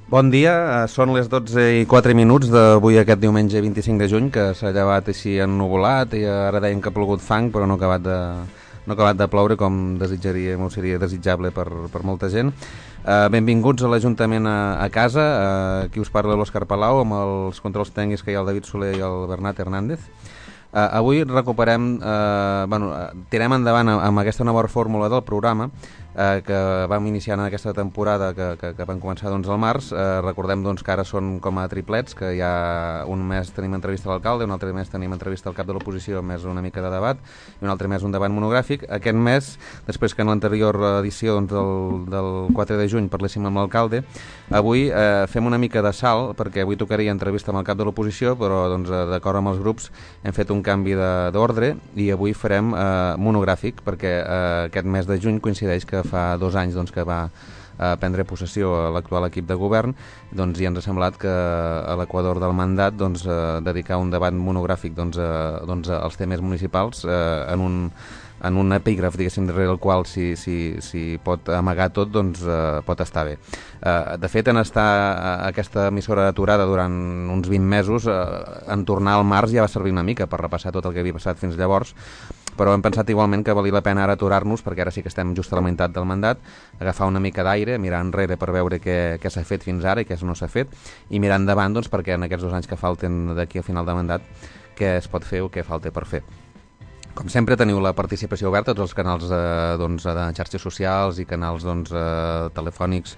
Bon dia, són les 12:04 d'avui aquest diumenge 25 de juny, que s'ha llevat així ennuvolat i ara deien que ha plogut fang, però no ha acabat de ploure com desitjaríem o seria desitjable per molta gent. Benvinguts a l'Ajuntament a casa, aquí us parla l'Òscar Palau amb els controls tècnics que hi ha el David Soler i el Bernat Hernández. Avui recuperem, tirem endavant amb aquesta nova fórmula del programa que vam iniciar en aquesta temporada que vam començar al març. Recordem que ara són com a triplets, que ja un mes tenim entrevista a l'alcalde, un altre mes tenim entrevista al cap de l'oposició, més una mica de debat, i un altre mes un debat monogràfic. Aquest mes, després que en l'anterior edició del 4 de juny parléssim amb l'alcalde, avui fem una mica de salt, perquè avui tocaria entrevista amb el cap de l'oposició, però d'acord amb els grups hem fet un canvi d'ordre i avui farem monogràfic, perquè aquest mes de juny coincideix que fa 2 anys que va prendre possessió a l'actual equip de govern, i ens ha semblat que a l'equador del mandat dedicar un debat monogràfic als temes municipals en un epígraf, diguéssim, darrere el qual si pot amagar tot, pot estar bé. De fet, en estar aquesta emissora aturada durant uns 20 mesos, en tornar al març ja va servir una mica per repassar tot el que havia passat fins llavors, però hem pensat igualment que valia la pena ara aturar-nos, perquè ara sí que estem just a la meitat del mandat, agafar una mica d'aire, mirar enrere per veure què s'ha fet fins ara i què no s'ha fet, i mirar endavant, perquè en aquests 2 anys que falten d'aquí al final del mandat, què es pot fer o què falta per fer. Com sempre, teniu la participació oberta a tots els canals de xarxes socials i canals telefònics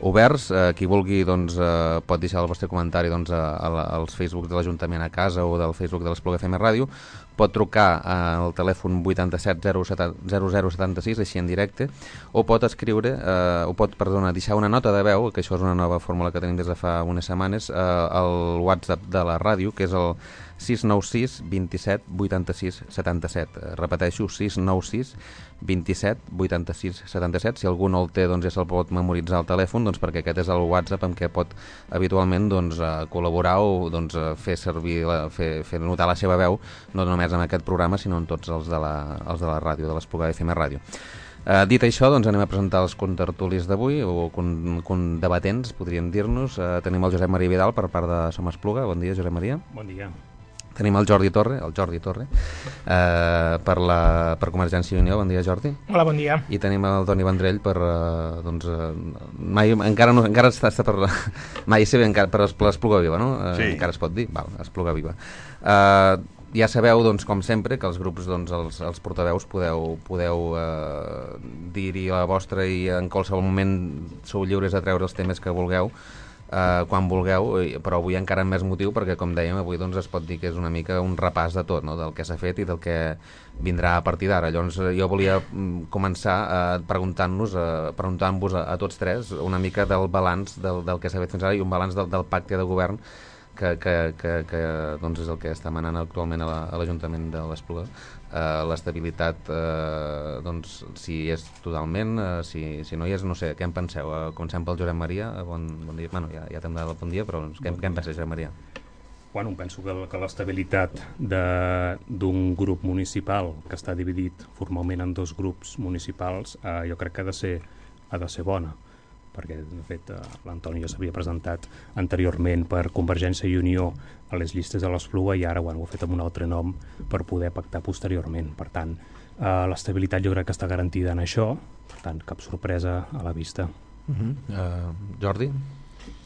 oberts. Qui vulgui pot deixar el vostre comentari als Facebook de l'Ajuntament a casa o del Facebook de l'Espluga FM Ràdio. Pot trucar al telèfon 87 0076, així en directe, o pot escriure, deixar una nota de veu, que això és una nova fórmula que tenim des de fa unes setmanes, al WhatsApp de la ràdio, que és el 696 27 86 77. Repeteixo, 696 27 86 77. Si algú no el té, ja se'l pot memoritzar al telèfon, perquè aquest és el WhatsApp amb què pot habitualment col·laborar o fer servir, fer notar la seva veu, no només en aquest programa, sinó en tots els de la ràdio, de l'Espluga FM Ràdio. Dit això, anem a presentar els contertulis d'avui, o debatents, podríem dir-nos. Tenim el Josep Maria Vidal per part de Som Espluga. Bon dia, Josep Maria. Bon dia. Tenim el Jordi Torre per Convergència i Unió. Bon dia, Jordi. Hola, bon dia. I tenim el Toni Vendrell per encara està per mai sé bé, encara per l'Espluga Viva, no? Sí. Encara es pot dir? Val, Espluga Viva. Ja sabeu, com sempre, que els grups, els portaveus podeu dir-hi la vostra, i en qualsevol moment sou lliures de treure els temes que vulgueu, quan vulgueu, però avui encara amb més motiu, perquè com dèiem, avui es pot dir que és una mica un repàs de tot, no? Del que s'ha fet i del que vindrà a partir d'ara. Llavors jo volia començar preguntant-vos a tots tres una mica del balanç del que s'ha fet fins ara, i un balanç del pacte de govern que és el que està manant actualment a l'Ajuntament de l'Espluga. L'estabilitat, si és totalment, si no hi és, no sé, què en penseu? Comencem pel Josep Maria. Bon dia. Bueno, ja t'hem donat el bon dia, però què en penses, Josep Maria? Bueno, penso que l'estabilitat d'un grup municipal que està dividit formalment en 2 grups municipals, jo crec que ha de ser bona, perquè de fet l'Antoni ja s'havia presentat anteriorment per Convergència i Unió a les llistes de l'Espluga, i ara ho ha fet amb un altre nom per poder pactar posteriorment. Per tant, l'estabilitat jo crec que està garantida en això, per tant, cap sorpresa a la vista. Jordi?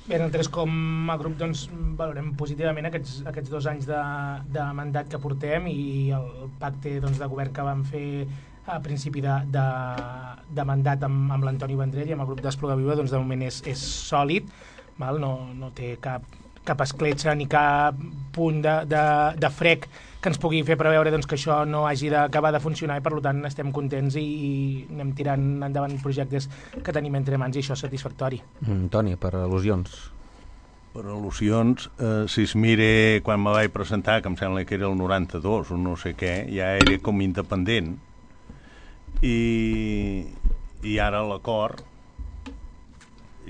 Bé, nosaltres com a grup valorem positivament aquests 2 anys de mandat que portem i el pacte de govern que vam fer a principi de mandat amb l'Antoni Vendrell i amb el grup d'Espluga Viva, de moment és sòlid, no té cap escletxa ni cap punt de frec que ens pugui fer preveure que això no hagi d'acabar de funcionar, i per tant estem contents i anem tirant endavant projectes que tenim entre mans, i això és satisfactori. Toni, per al·lusions. Per al·lusions, si es mire quan me vaig presentar, que em sembla que era el 92 o no sé què, ja era com independent, i ara l'acord,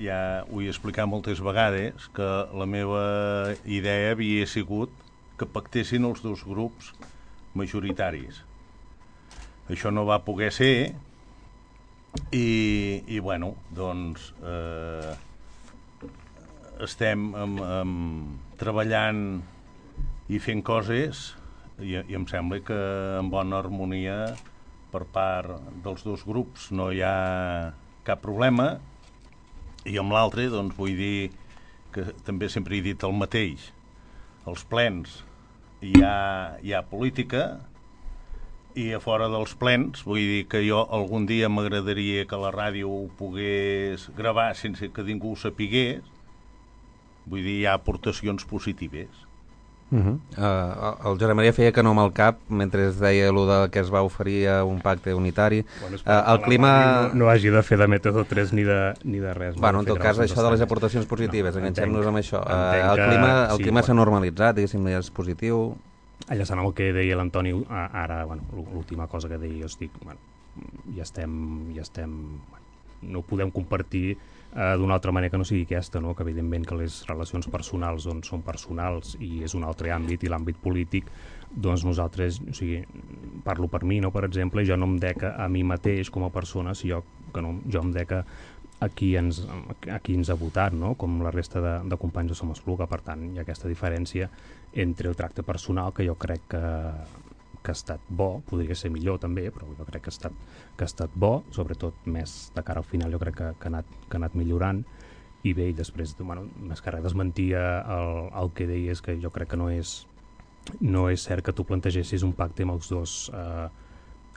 ja ho he explicat moltes vegades, que la meva idea havia sigut que pactessin els 2 grups majoritaris. Això no va poder ser, i bueno, estem treballant i fent coses i em sembla que en bona harmonia per part dels dos grups no hi ha cap problema, i amb l'altre doncs vull dir que també sempre he dit el mateix. Als plens hi ha política, i a fora dels plens, vull dir que jo algun dia m'agradaria que la ràdio ho pogués gravar sense que ningú ho sapigués. Vull dir, hi ha aportacions positives. El Josep Maria feia que no amb el cap mentre es deia allò de que es va oferir a un pacte unitari. Bueno, el clima no hagi de fer de mètode 3 ni de res. Bueno, en tot cas, això de les aportacions positives, enganxem-nos amb això. El clima s'ha normalitzat, diguéssim, ja és positiu. Enllaçant amb el que deia l'Antoni ara, l'última cosa que deia jo estic, ja estem no ho podem compartir d'una altra manera que no sigui aquesta, no? Que evidentment que les relacions personals doncs, són personals i és un altre àmbit, i l'àmbit polític doncs nosaltres, o sigui, parlo per mi, no? Per exemple, jo no em dec a mi mateix com a persona, jo em dec a qui ens ha votat, no? Com la resta de companys de Som Espluga. Per tant, hi ha aquesta diferència entre el tracte personal, que jo crec que ha estat bo, podria ser millor també, però jo crec que ha estat bo, sobretot més de cara al final jo crec que ha anat millorant. I bé, i després, més que res desmentia el que deies, que jo crec que no és cert que tu plantegessis un pacte amb els dos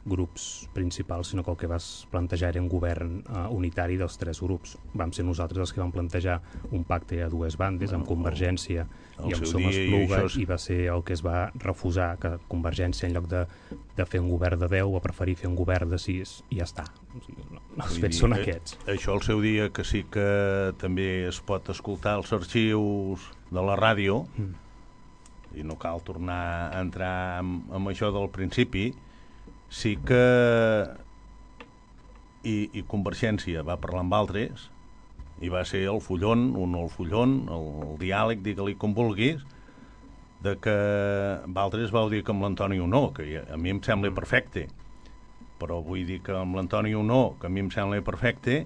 grups principals, sinó que el que vas plantejar era un govern unitari dels tres grups. Vam ser nosaltres els que vam plantejar un pacte a dues bandes, amb Convergència i amb Som Espluga, i va ser el que es va refusar, que Convergència, en lloc de fer un govern de 10, va preferir fer un govern de 6, i ja està. O sigui, els fets són aquests. Això al seu dia, que sí que també es pot escoltar els arxius de la ràdio, i no cal tornar a entrar amb això del principi, sí que i Convergència va parlar amb altres i va ser el fullon, el diàleg, digue-li com vulguis, de que Valtres vau dir que amb l'Antoni no, que a mi em sembla perfecte, però vull dir que amb l'Antoni no, que a mi em sembla perfecte,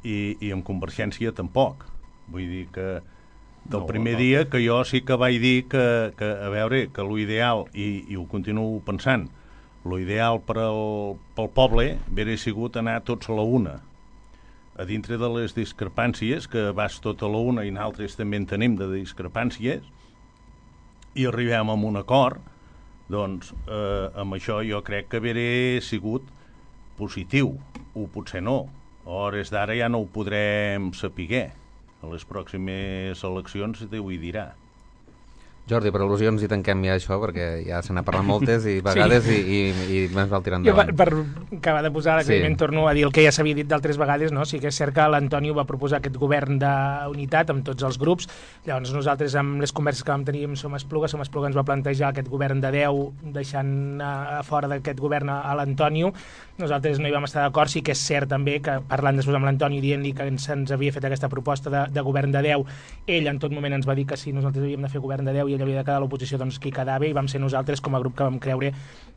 i amb Convergència tampoc. Vull dir que del primer dia que jo sí que vaig dir que a veure, que l'ideal, i ho continuo pensant, l'ideal pel poble hauria sigut anar tots a la una. A dintre de les discrepàncies, que vas tot a la una i nosaltres també en tenim de discrepàncies, i arribem a un acord, doncs amb això jo crec que hauria sigut positiu, o potser no. A hores d'ara ja no ho podrem saber. A les pròximes eleccions Déu hi dirà. Jordi, per al·lusions i tanquem ja això, perquè ja se n'ha parlat moltes i vegades, sí. i més val tirar endavant. Jo, per acabar de posar l'agraïment, torno a dir el que ja s'havia dit d'altres vegades, no? Sí que és cert que l'Antoni va proposar aquest govern d'unitat amb tots els grups. Llavors nosaltres, amb les converses que vam tenir amb Som Espluga ens va plantejar aquest govern de 10, deixant a fora d'aquest govern a l'Antoni. Nosaltres no hi vam estar d'acord. Sí que és cert també que, parlant després amb l'Antoni, dient-li que se'ns havia fet aquesta proposta de govern de 10, ell en tot moment ens va dir que si nosaltres havíem de fer govern de 10 i ell havia de quedar a l'oposició, doncs qui quedava, i vam ser nosaltres com a grup que vam creure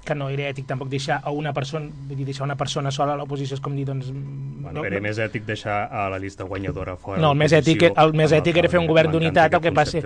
que no era ètic tampoc deixar a una persona, vull dir, deixar una persona sola a l'oposició és com dir, doncs... Bueno, era més ètic deixar a la llista guanyadora fora. No, el més ètic era fer un govern d'unitat, el que passa...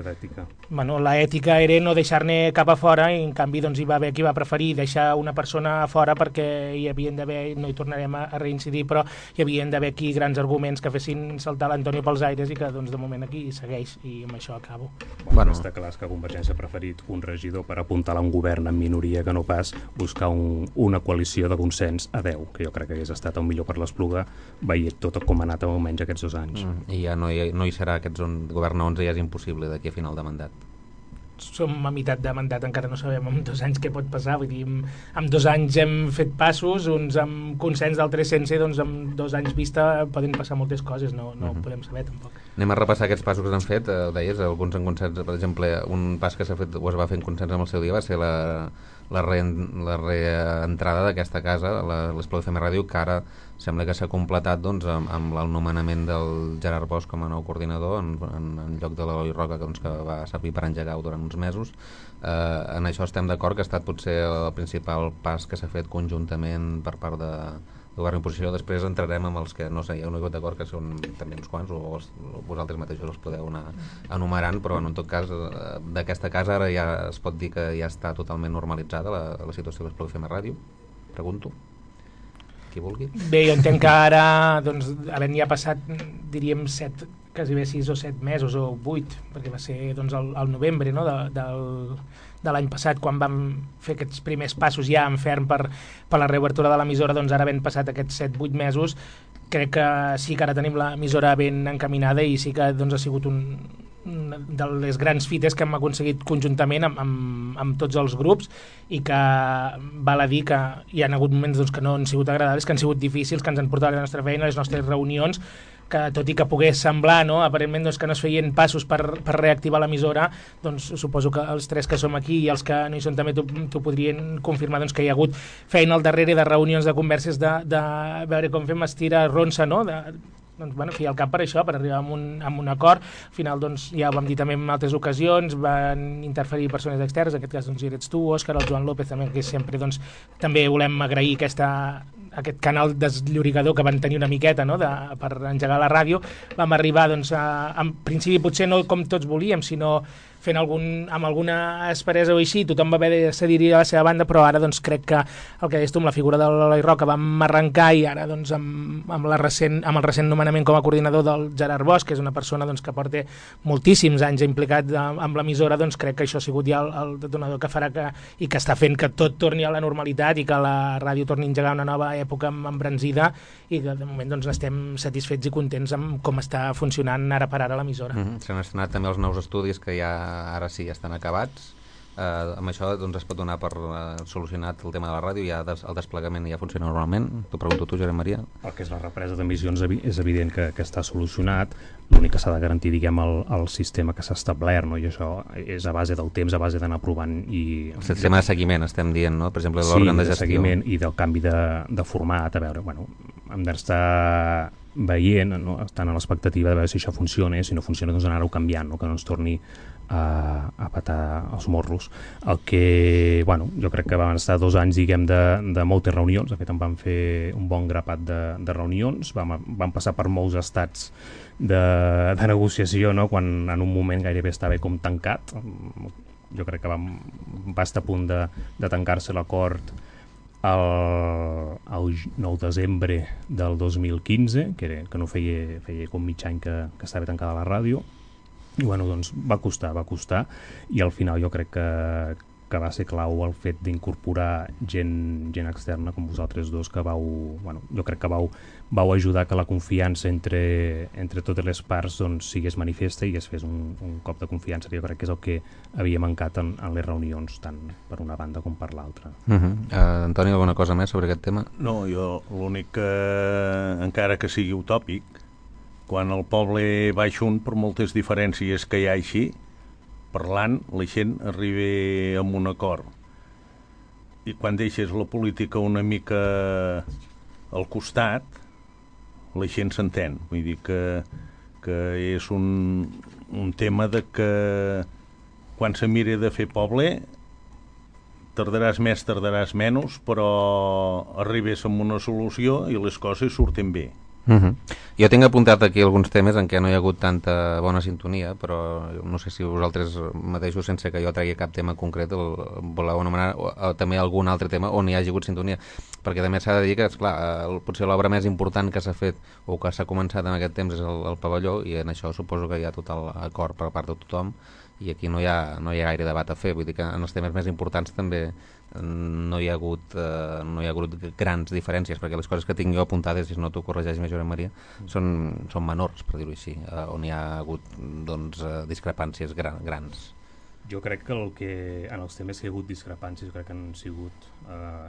Bueno, l'ètica era no deixar-ne cap a fora, i en canvi doncs hi va haver qui va preferir deixar una persona a fora perquè hi havien d'haver, no hi tornarem a reincidir, però hi havien d'haver aquí grans arguments que fessin saltar l'Antoni pels aires, i que doncs de moment aquí segueix, i amb això acabo. Bueno, està clar que Convergència ha preferit un regidor per apuntalar un govern en minoria que no pas buscar una coalició de consens a 10, que jo crec que hagués estat el millor per l'Espluga, veient tot com ha anat almenys aquests 2 anys. I ja no hi serà govern 11, ja és impossible d'aquí a final de mandat. Som a meitat de mandat, encara no sabem en 2 anys què pot passar, vull dir, en 2 anys hem fet passos, uns amb consens, d'altres sense, doncs en 2 anys vista poden passar moltes coses, no ho podem saber tampoc. Anem a repassar aquests passos que han fet, deies, alguns en consens, per exemple, un pas que s'ha fet, o es va fer en consens amb el seu dia, va ser la reentrada d'aquesta casa, l'Espluga FM Ràdio, que ara sembla que s'ha completat doncs, amb el nomenament del Gerard Bosch com a nou coordinador en lloc de l'Eloi Roca, que va servir per engegar-ho durant uns mesos. En això estem d'acord, que ha estat potser el principal pas que s'ha fet conjuntament per part de govern i oposició. Després entrarem amb els que no sé, hi ha un hagut d'acord, que són també uns quants, o vosaltres mateixos els podeu anar enumerant, però en tot cas d'aquesta casa ara ja es pot dir que ja està totalment normalitzada la situació de l'Esplai FM Ràdio. Pregunto. Qui vulgui. Bé, jo entenc que ara, doncs, havent ja passat, diríem, quasi bé 6 o 7 mesos o 8, perquè va ser doncs, el novembre, no? de l'any passat, quan vam fer aquests primers passos ja en ferm per la reobertura de l'emissora, doncs ara havent passat aquests 7-8 mesos, crec que sí que ara tenim l'emissora ben encaminada i sí que doncs, ha sigut una de les grans fites que hem aconseguit conjuntament amb tots els grups, i que val a dir que hi ha hagut moments doncs, que no han sigut agradables, que han sigut difícils, que ens han portat la nostra feina, les nostres reunions, que tot i que pogués semblar, no, aparentment doncs, que no es feien passos per reactivar l'emissora, doncs suposo que els tres que som aquí i els que no hi són també t'ho podrien confirmar, doncs, que hi ha hagut feina al darrere de reunions, de converses, de veure com fem estira ronça, no?, doncs, bueno, fiar el cap per això, per arribar a un acord. Al final, doncs, ja ho vam dir també en altres ocasions, van interferir persones externes, en aquest cas doncs, hi eres tu, Òscar, el Joan López també, que sempre doncs, també volem agrair aquest canal desllorigador que van tenir una miqueta, no?, per engegar la ràdio. Vam arribar, doncs, en principi potser no com tots volíem, sinó fent amb alguna asperesa o així, tothom va haver de cedir a la seva banda, però ara doncs, crec que el que deies tu amb la figura de l'Eloi Roca vam arrencar, i ara doncs, amb el recent nomenament com a coordinador del Gerard Bosch, que és una persona doncs, que porta moltíssims anys implicat amb l'emissora, doncs crec que això ha sigut ja el detonador que farà i que està fent que tot torni a la normalitat i que la ràdio torni a engegar una nova època embranzida, i que de moment doncs, estem satisfets i contents amb com està funcionant ara per ara l'emissora. S'han estrenat també els nous estudis que ja ara sí ja estan acabats. Amb això doncs, es pot donar per solucionat el tema de la ràdio, ja el desplegament ja funciona normalment. T'ho pregunto tu, Josep Maria. El que és la represa d'emissions és evident que està solucionat. L'únic que s'ha de garantir, diguem, el sistema que s'ha establert, no? I això és a base del temps, a base d'anar provant. El sistema de seguiment, estem dient, no? Per exemple, l'òrgan de gestió. Sí, de seguiment i del canvi de format. A veure, bueno, hem d'estar veient, no? Estant a l'expectativa de veure si això funciona, si no funciona doncs anar-ho canviant, no? Que no ens torni a patar els morros. El que, bueno, jo crec que van estar 2 anys, diguem, de moltes reunions. De fet, en vam fer un bon grapat de reunions, vam passar per molts estats de negociació, no? Quan en un moment gairebé estava com tancat. Jo crec que va estar a punt de tancar-se l'acord el 9 de desembre del 2015, que no feia com mig any que estava tancada la ràdio. I bueno, doncs va costar, i al final jo crec que va ser clau el fet d'incorporar gent externa com vosaltres dos, que jo crec que vau ajudar que la confiança entre totes les parts doncs, sigués manifesta i es fes un cop de confiança, que jo crec que és el que havia mancat en les reunions, tant per una banda com per l'altra. Antoni, alguna cosa més sobre aquest tema? No, jo l'únic que, encara que sigui utòpic, quan el poble va junt, per moltes diferències que hi ha així, parlant, la gent arriba a un acord. I quan deixes la política una mica al costat, la gent s'entén. Vull dir que és un tema de que quan se mira de fer poble, tardaràs més, tardaràs menys, però arribes a una solució i les coses surten bé. Jo tinc apuntat aquí alguns temes en què no hi ha hagut tanta bona sintonia, però no sé si vosaltres mateixos, sense que jo tregui cap tema concret, voleu anomenar també algun altre tema on hi hagi hagut sintonia, perquè també s'ha de dir que, esclar, potser l'obra més important que s'ha fet o que s'ha començat en aquest temps és el pavelló, i en això suposo que hi ha total acord per part de tothom, i aquí no hi ha gaire debat a fer. Vull dir que en els temes més importants també no hi ha hagut grans diferències, perquè les coses que tinc jo apuntades, si no t'ho corregeix més, Josep Maria, són menors, per dir-ho així, on hi ha hagut doncs, discrepàncies grans. Jo crec que en els temes que hi ha hagut discrepàncies crec que han sigut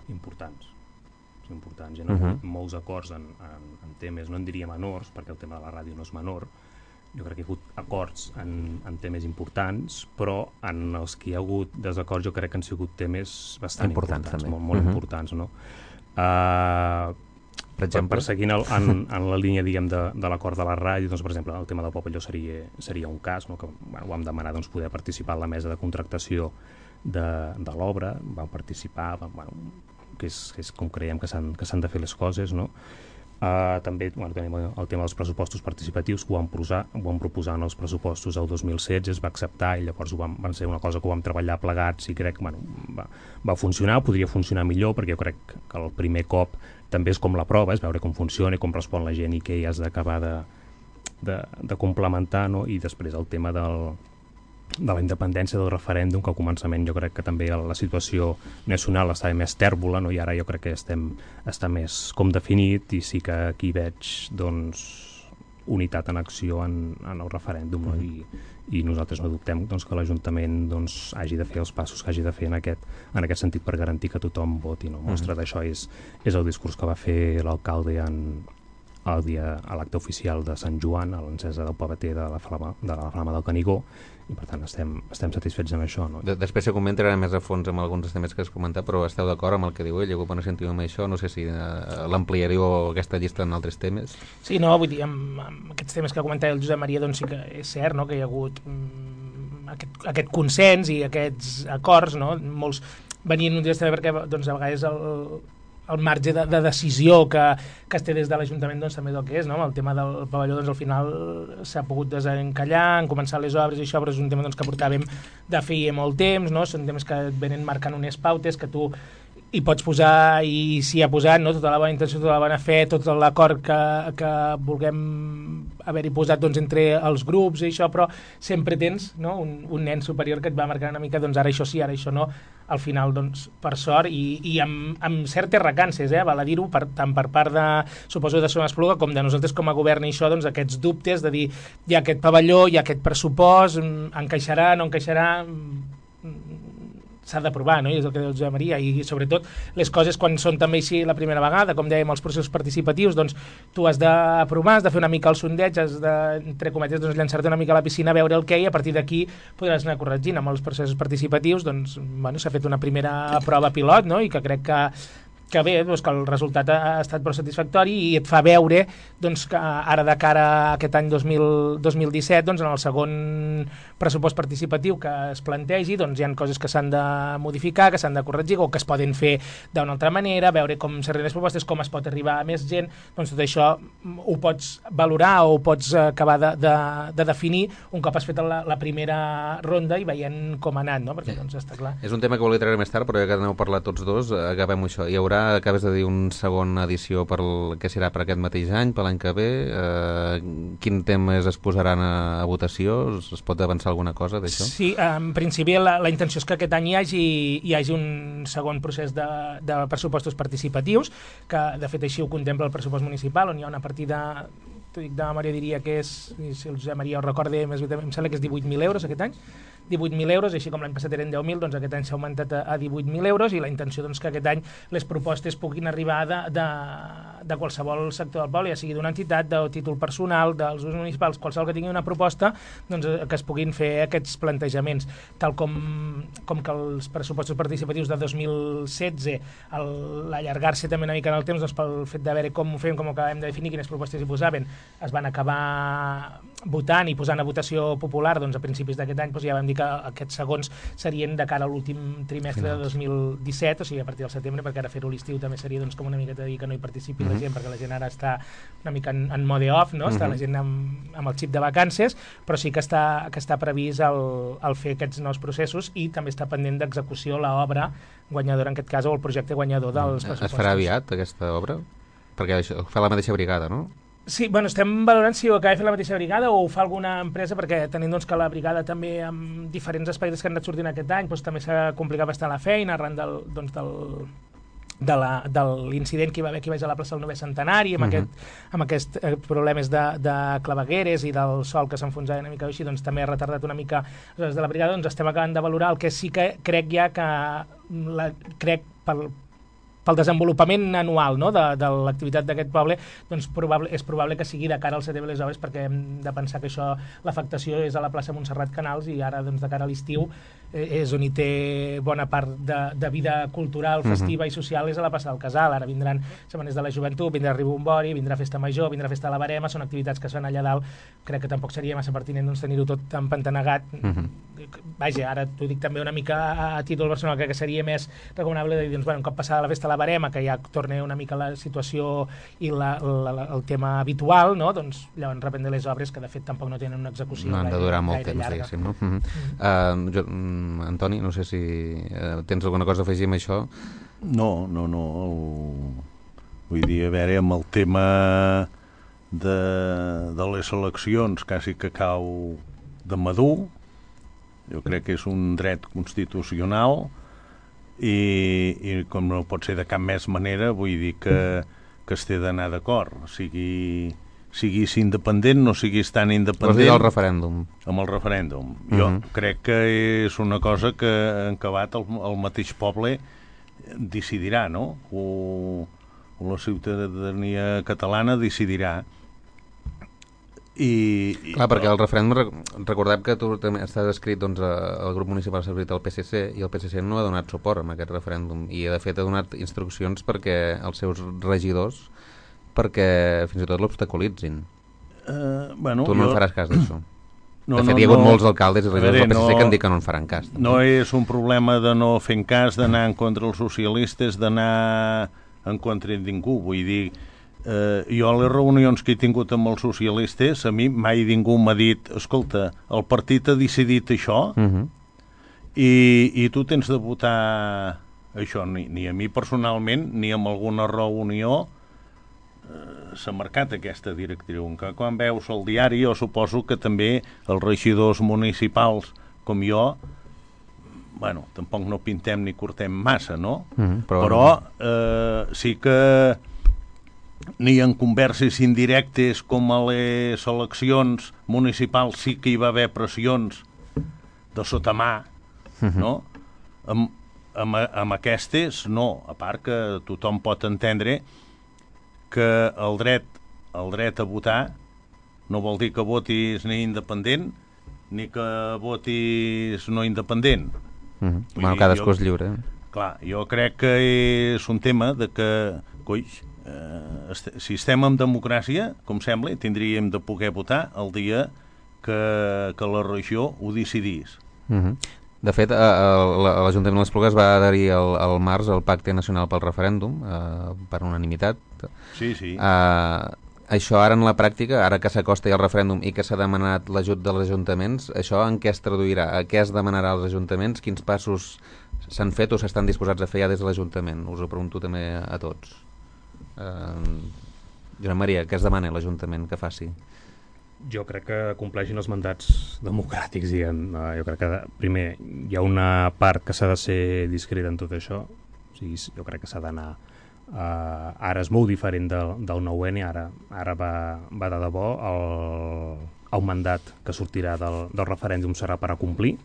importants. Hi ha hagut molts acords en temes, no en diria menors, perquè el tema de la ràdio no és menor. Jo crec que hi ha hagut acords en temes importants, però en els que hi ha hagut desacords jo crec que han sigut temes bastant importants, molt importants, no? Per exemple, seguint en la línia, diguem, de l'acord de la ràdio, doncs, per exemple, el tema del pavelló seria un cas, no? Que vam demanar doncs, poder participar en la mesa de contractació de l'obra, vam participar, és com creiem que s'han de fer les coses, no? També tenim el tema dels pressupostos participatius, que ho vam proposar en els pressupostos el 2016, es va acceptar i llavors van ser una cosa que ho vam treballar plegats i crec que va funcionar, podria funcionar millor, perquè jo crec que el primer cop també és com la prova, és veure com funciona i com respon la gent i què hi has d'acabar de complementar, no? I després el tema de la independència del referèndum, que al començament jo crec que també la situació nacional estava més tèrbola, no? I ara jo crec que està més com definit i sí que aquí veig doncs, unitat en acció en el referèndum, no? I nosaltres no dubtem doncs, que l'Ajuntament doncs, hagi de fer els passos que hagi de fer en aquest sentit per garantir que tothom voti, no? Mostra d'això és el discurs que va fer l'alcalde a l'acte oficial de Sant Joan, a l'encesa del pavater de la flama del Canigó, i per tant estem satisfets amb això, no? Després se comentarà més a fons amb alguns dels temes que has comentat, però esteu d'acord amb el que diu ell? Algú pot sentir amb això? No sé si l'ampliaríeu aquesta llista en altres temes. Sí, no, vull dir, amb aquests temes que comentava el Josep Maria, doncs sí que és cert, no?, que hi ha hagut aquest consens i aquests acords, no? Molts venien un dia també perquè doncs, a vegades el marge de decisió que es té des de l'Ajuntament doncs, també és el que és, no? El tema del pavelló doncs, al final s'ha pogut desencallar, han començat les obres i això, però és un tema doncs, que portàvem de feia molt temps, no? Són temes que et venen marcant unes pautes que tu hi pots posar i s'hi ha posat, no? Tota la bona intenció, tota la bona fe, tot l'acord que vulguem haver-hi posat doncs, entre els grups i això, però sempre tens, no? un nen superior que et va marcar una mica, doncs ara això sí, ara això no, al final, doncs, per sort i amb certes recances, val a dir-ho, tant per part de, suposo, de Som Espluga com de nosaltres com a govern i això, doncs, aquests dubtes de dir, hi ha aquest pavelló, hi ha aquest pressupost, encaixarà, no encaixarà, s'ha d'aprovar, no? I és el que diu Josep Maria, i sobretot les coses quan són també així la primera vegada, com dèiem, els processos participatius, doncs tu has d'aprovar, has de fer una mica el sondeig, has de, entre cometes, doncs, llançar-te una mica a la piscina, veure el què i a partir d'aquí podràs anar corregint. Amb els processos participatius, doncs, bueno, s'ha fet una primera prova pilot, no? I que crec que bé, doncs, que el resultat ha estat prou satisfactori i et fa veure doncs, que ara de cara a aquest any 2017, doncs, en el segon pressupost participatiu que es plantegi, doncs, hi ha coses que s'han de modificar, que s'han de corregir o que es poden fer d'una altra manera, veure com s'arriben les propostes, com es pot arribar a més gent, doncs tot això ho pots valorar o ho pots acabar de definir un cop has fet la primera ronda i veient com ha anat, no? Perquè doncs està clar. És un tema que volia treure més tard, però ja que n'heu parlat tots dos, acabem això. Hi haurà, acabes de dir, una segona edició que serà per aquest mateix any, per l'any que ve. Quin temes es posaran a votació? Es pot avançar alguna cosa d'això? Sí, en principi la intenció és que aquest any hi hagi un segon procés de pressupostos participatius, que de fet així ho contempla el pressupost municipal, on hi ha una partida, t'ho dic de memòria, diria que és, si el Josep Maria ho recorda, em sembla que és 18.000 euros aquest any, 18.000 euros, així com l'any passat eren 10.000, doncs aquest any s'ha augmentat a 18.000 euros i la intenció doncs, que aquest any les propostes puguin arribar de qualsevol sector del poble, ja sigui d'una entitat, de títol personal, dels usos municipals, qualsevol que tingui una proposta, doncs, que es puguin fer aquests plantejaments. Tal com que els pressupostos participatius de 2016, l'allargar-se també una mica en el temps, doncs, pel fet de veure com ho fem, com ho acabem de definir, quines propostes hi posaven, es van acabar votant i posant a votació popular, doncs a principis d'aquest any doncs ja vam dir que aquests segons serien de cara a l'últim trimestre de 2017, o sigui a partir del setembre, perquè ara fer-ho a l'estiu també seria doncs, com una miqueta dir que no hi participi la gent, perquè la gent ara està una mica en mode off, no? Està la gent amb el xip de vacances, però sí que està previst el fer aquests nous processos i també està pendent d'execució l'obra guanyadora, en aquest cas, o el projecte guanyador dels pressupostos. Es farà aviat aquesta obra? Perquè això ho fa la mateixa brigada, no? Sí, bueno, estem valorant si ho acaba de fer la mateixa brigada o ho fa alguna empresa, perquè tenint doncs, que la brigada també amb diferents aspectes que han anat sortint aquest any doncs, també s'ha complicat bastant la feina arran de l'incident que hi va haver aquí baix a la plaça del 9è Centenari amb aquests problemes de clavegueres i del sol que s'enfonsava una mica així, doncs també ha retardat una mica des de la brigada, doncs estem acabant de valorar el que sí que crec ja que pel desenvolupament anual, no? de l'activitat d'aquest poble, doncs és probable que sigui de cara al setembre les obres, perquè hem de pensar que això, l'afectació és a la plaça Montserrat Canals i ara doncs, de cara a l'estiu és on hi té bona part de vida cultural, festiva i social, és a la plaça del Casal. Ara vindran setmanes de la joventut, vindrà Ribombori, vindrà Festa Major, vindrà Festa de la Barema, són activitats que es fan allà dalt. Crec que tampoc seria massa pertinent doncs, tenir-ho tot empantanegat. Vaja, ara t'ho dic també una mica a títol personal, crec que seria més recomanable de dir, doncs, bueno, un cop passada la Festa de la barema, que ja torna una mica la situació i el tema habitual, no? Doncs llavors reprendre les obres que de fet tampoc no tenen una execució no han de durar molt temps, llarga. diguéssim, no? Antoni, no sé si tens alguna cosa a afegir amb això? No. Vull dir, a veure, amb el tema de les eleccions quasi que cau de madur, jo crec que és un dret constitucional i com no pot ser de cap més manera, vull dir que es té d'anar d'acord, siguis independent, no siguis tan independent. Vols dir el referèndum? Amb el referèndum. Jo crec que és una cosa que en acabat el mateix poble decidirà, no? O la ciutadania catalana decidirà. Clar, perquè el referèndum, recordem que tu també estàs escrit, doncs, el grup municipal s'ha escrit al PSC i el PSC no ha donat suport a aquest referèndum i de fet ha donat instruccions perquè els seus regidors perquè fins i tot l'obstaculitzin. Tu no en faràs cas d'això. De fet, hi ha hagut molts alcaldes i regidors del PSC que han dit que no en faran cas. No és un problema de no fer cas, d'anar en contra els socialistes, d'anar en contra de ningú. Vull dir, jo a les reunions que he tingut amb els socialistes, a mi mai ningú m'ha dit escolta, el partit ha decidit això i tu tens de votar això. Ni a mi personalment ni amb alguna reunió s'ha marcat aquesta directriu. Que quan veus el diari, jo suposo que també els regidors municipals com jo, bueno, tampoc no pintem ni cortem massa, no? Però sí que ni en converses indirectes com a les eleccions municipals sí que hi va haver pressions de sotamà, no? Amb aquestes, no. A part que tothom pot entendre que el dret a votar no vol dir que votis ni independent ni que votis no independent. Bueno, cadascú és lliure. Clar, jo crec que és un tema de que, coix, si estem en democràcia, com sembla, tindríem de poder votar el dia que la regió ho decidís. De fet, l'Ajuntament de l'Esplugues va adherir al març al Pacte Nacional pel Referèndum per unanimitat. Sí. Això ara en la pràctica, ara que s'acosta ja el referèndum i que s'ha demanat l'ajut dels ajuntaments, això en què es traduirà? A què es demanarà als ajuntaments? Quins passos s'han fet o s'estan disposats a fer ja des de l'Ajuntament? Us ho pregunto també a tots. Josep Maria, què es demana l'Ajuntament que faci? Jo crec que compleixin els mandats democràtics, diguem. Jo crec que, primer, hi ha una part que s'ha de ser discreta en tot això. O sigui, jo crec que s'ha d'anar... ara és molt diferent del 9N, ara va de debò. El mandat que sortirà del referèndum serà per a complir,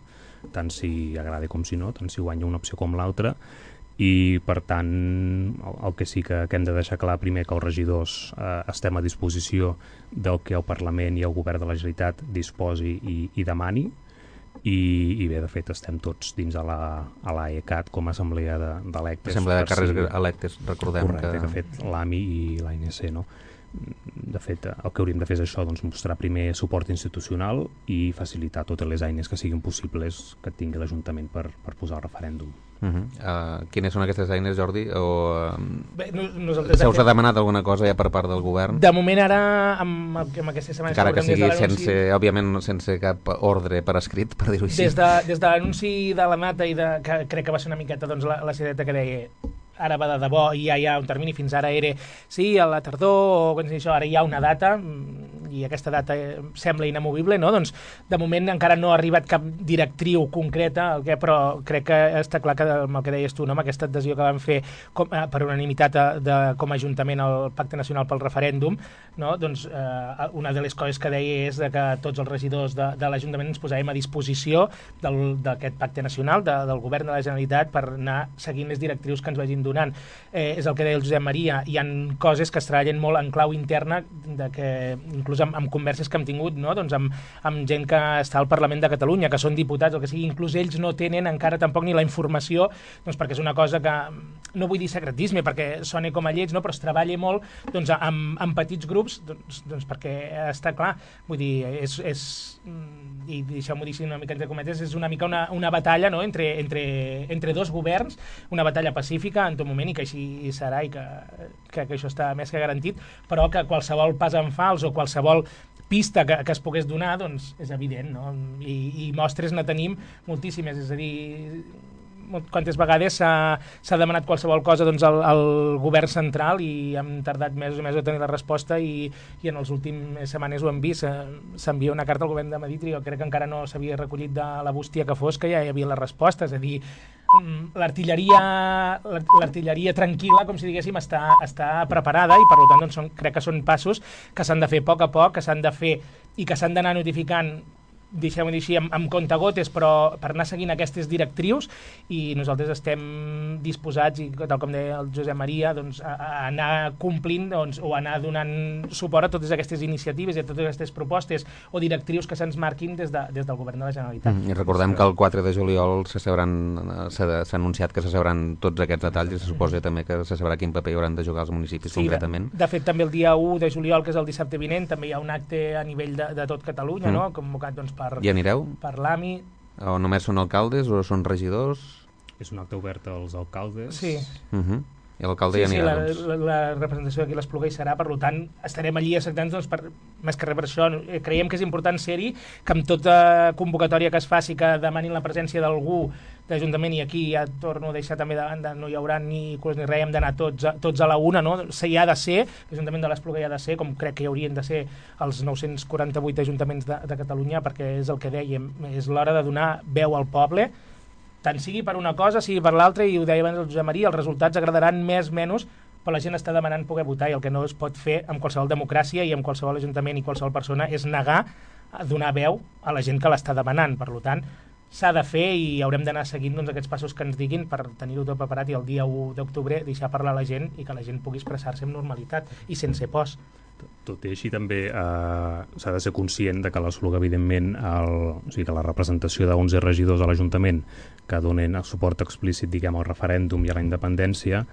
tant si agrada com si no, tant si guanya una opció com l'altra. I per tant el que sí que hem de deixar clar primer que els regidors estem a disposició del que el Parlament i el Govern de la Generalitat disposi i demani i bé, de fet estem tots dins a l'AECAT com a assemblea d'electes. Assemblea de càrrecs electes, recordem. Correcte, que ha fet l'AMI i l'ANC, no? De fet, el que hauríem de fer és això, doncs mostrar primer suport institucional i facilitar totes les eines que siguin possibles que tingui l'Ajuntament per posar el referèndum. Quines són aquestes eines, Jordi? Bé, se us ha demanat alguna cosa ja per part del govern? De moment ara, amb aquestes setmanes... Encara que sigui, òbviament, sense cap ordre per escrit, per dir-ho així. Des de l'anunci de la Mata, que crec que va ser una miqueta doncs, la sideta que deia ara va de debò i ja hi ha un termini, fins ara era sí, a la tardor, o això, ara hi ha una data i aquesta data sembla inamovible, no? Doncs de moment encara no ha arribat cap directriu concreta, però crec que està clar que amb el que deies tu, no? Amb aquesta adhesió que vam fer per unanimitat com a Ajuntament al Pacte Nacional pel Referèndum, no? Doncs una de les coses que deia és que tots els regidors de l'Ajuntament ens posàvem a disposició d'aquest Pacte Nacional, del Govern de la Generalitat, per anar seguint les directrius que ens vagin donant. És el que deia el Josep Maria, hi ha coses que es treballen molt en clau interna, de que inclús inclús amb converses que hem tingut, no? Doncs amb gent que està al Parlament de Catalunya, que són diputats, o que sigui, inclús ells no tenen encara tampoc ni la informació, doncs perquè és una cosa que, no vull dir secretisme, perquè soni com a lleig, no? Però es treballa molt doncs, amb petits grups, doncs perquè està clar, vull dir, i deixeu-m'ho dir una mica entre cometes, és una mica una batalla, no? entre dos governs, una batalla pacífica en tot moment, i que així serà, i que això està més que garantit, però que qualsevol pas en fals o qualsevol pista que es pogués donar, doncs és evident, no? I mostres ne tenim moltíssimes, és a dir, quantes vegades s'ha demanat qualsevol cosa doncs, al govern central i hem tardat mesos i mesos a tenir la resposta i en les últimes setmanes ho hem vist, s'envia una carta al govern de Madrid i jo crec que encara no s'havia recollit de la bústia que fos, que ja hi havia la resposta, és a dir, l'artilleria tranquil·la, com si diguéssim, està preparada i per tant doncs, crec que són passos que s'han de fer a poc que s'han de fer i que s'han d'anar notificant, deixem-ho dir així, amb comptagotes, però per anar seguint aquestes directrius, i nosaltres estem disposats, i tal com deia el Josep Maria, doncs, a anar complint doncs, o anar donant suport a totes aquestes iniciatives i a totes aquestes propostes o directrius que se'ns marquin des del govern de la Generalitat. I recordem que el 4 de juliol s'ha anunciat que se sabran tots aquests detalls i se suposa també que se sabrà quin paper hi hauran de jugar els municipis concretament. De fet, també el dia 1 de juliol, que és el dissabte vinent, també hi ha un acte a nivell de tot Catalunya, no? Convocat doncs, I anireu? Per l'AMI. O només són alcaldes o són regidors? És un acte obert als alcaldes. Sí. I l'alcalde hi anirà, doncs. La representació d'aquí l'Espluga hi serà, per tant, estarem allí asseguts, doncs, més que res per això. Creiem que és important ser-hi, que amb tota convocatòria que es faci, que demanin la presència d'algú d'Ajuntament, i aquí ja torno a deixar també de banda, no hi haurà ni curs ni res, hem d'anar tots a la una, no? Hi ha de ser, l'Ajuntament de l'Espluga hi ha de ser, com crec que hi haurien de ser els 948 ajuntaments de Catalunya, perquè és el que dèiem, és l'hora de donar veu al poble, tant sigui per una cosa, sigui per l'altra, i ho deia abans el Josep Maria, els resultats agradaran més o menys, però la gent està demanant poder votar, i el que no es pot fer amb qualsevol democràcia i amb qualsevol ajuntament i qualsevol persona és negar a donar veu a la gent que l'està demanant. Per tant, s'ha de fer i haurem d'anar seguint doncs, aquests passos que ens diguin per tenir-ho tot preparat i el dia 1 d'octubre deixar parlar a la gent i que la gent pugui expressar-se amb normalitat i sense pors. Tot i així també s'ha de ser conscient de que l'Espluga, evidentment, o sigui que la representació d'11 regidors a l'Ajuntament que donen suport explícit, diguem, al referèndum i a la independència,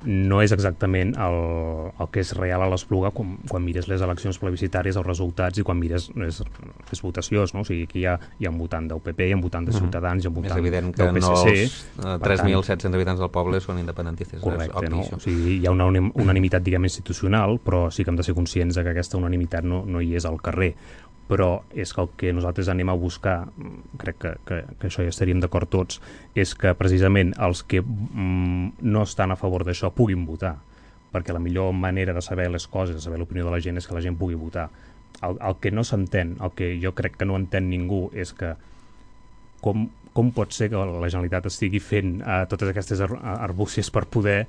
no és exactament el que és real a l'Espluga quan mires les eleccions plebiscitàries, els resultats, i quan mires les votacions, no? O sigui, aquí hi ha un votant del PP, hi ha un votant de Ciutadans, hi ha un votant del PSC. És evident que no els 3.700 habitants del poble són independentistes. Correcte, no? O sigui, hi ha una unanimitat, diguem, institucional, però sí que hem de ser conscients de que aquesta unanimitat no hi és al carrer. Però és que el que nosaltres anem a buscar, crec que això ja estaríem d'acord tots, és que precisament els que no estan a favor d'això puguin votar, perquè la millor manera de saber les coses, de saber l'opinió de la gent, és que la gent pugui votar. El que no s'entén, el que jo crec que no entén ningú, és que com pot ser que la Generalitat estigui fent totes aquestes arbúcies per poder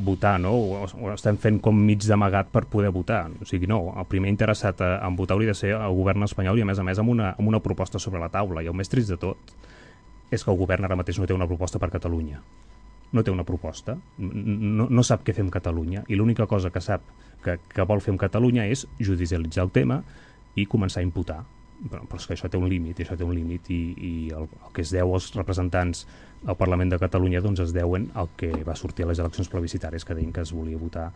votar, no? O estem fent com mig d'amagat per poder votar. O sigui, no, el primer interessat en votar hauria de ser el govern espanyol, i a més amb una proposta sobre la taula. I el més trist de tot és que el govern ara mateix no té una proposta per Catalunya. No té una proposta, no sap què fer amb Catalunya, i l'única cosa que sap que vol fer amb Catalunya és judicialitzar el tema i començar a imputar. Però és que això té un límit, i el que es deu als representants al Parlament de Catalunya doncs es deuen al que va sortir a les eleccions plebiscitàries, que deien que es volia votar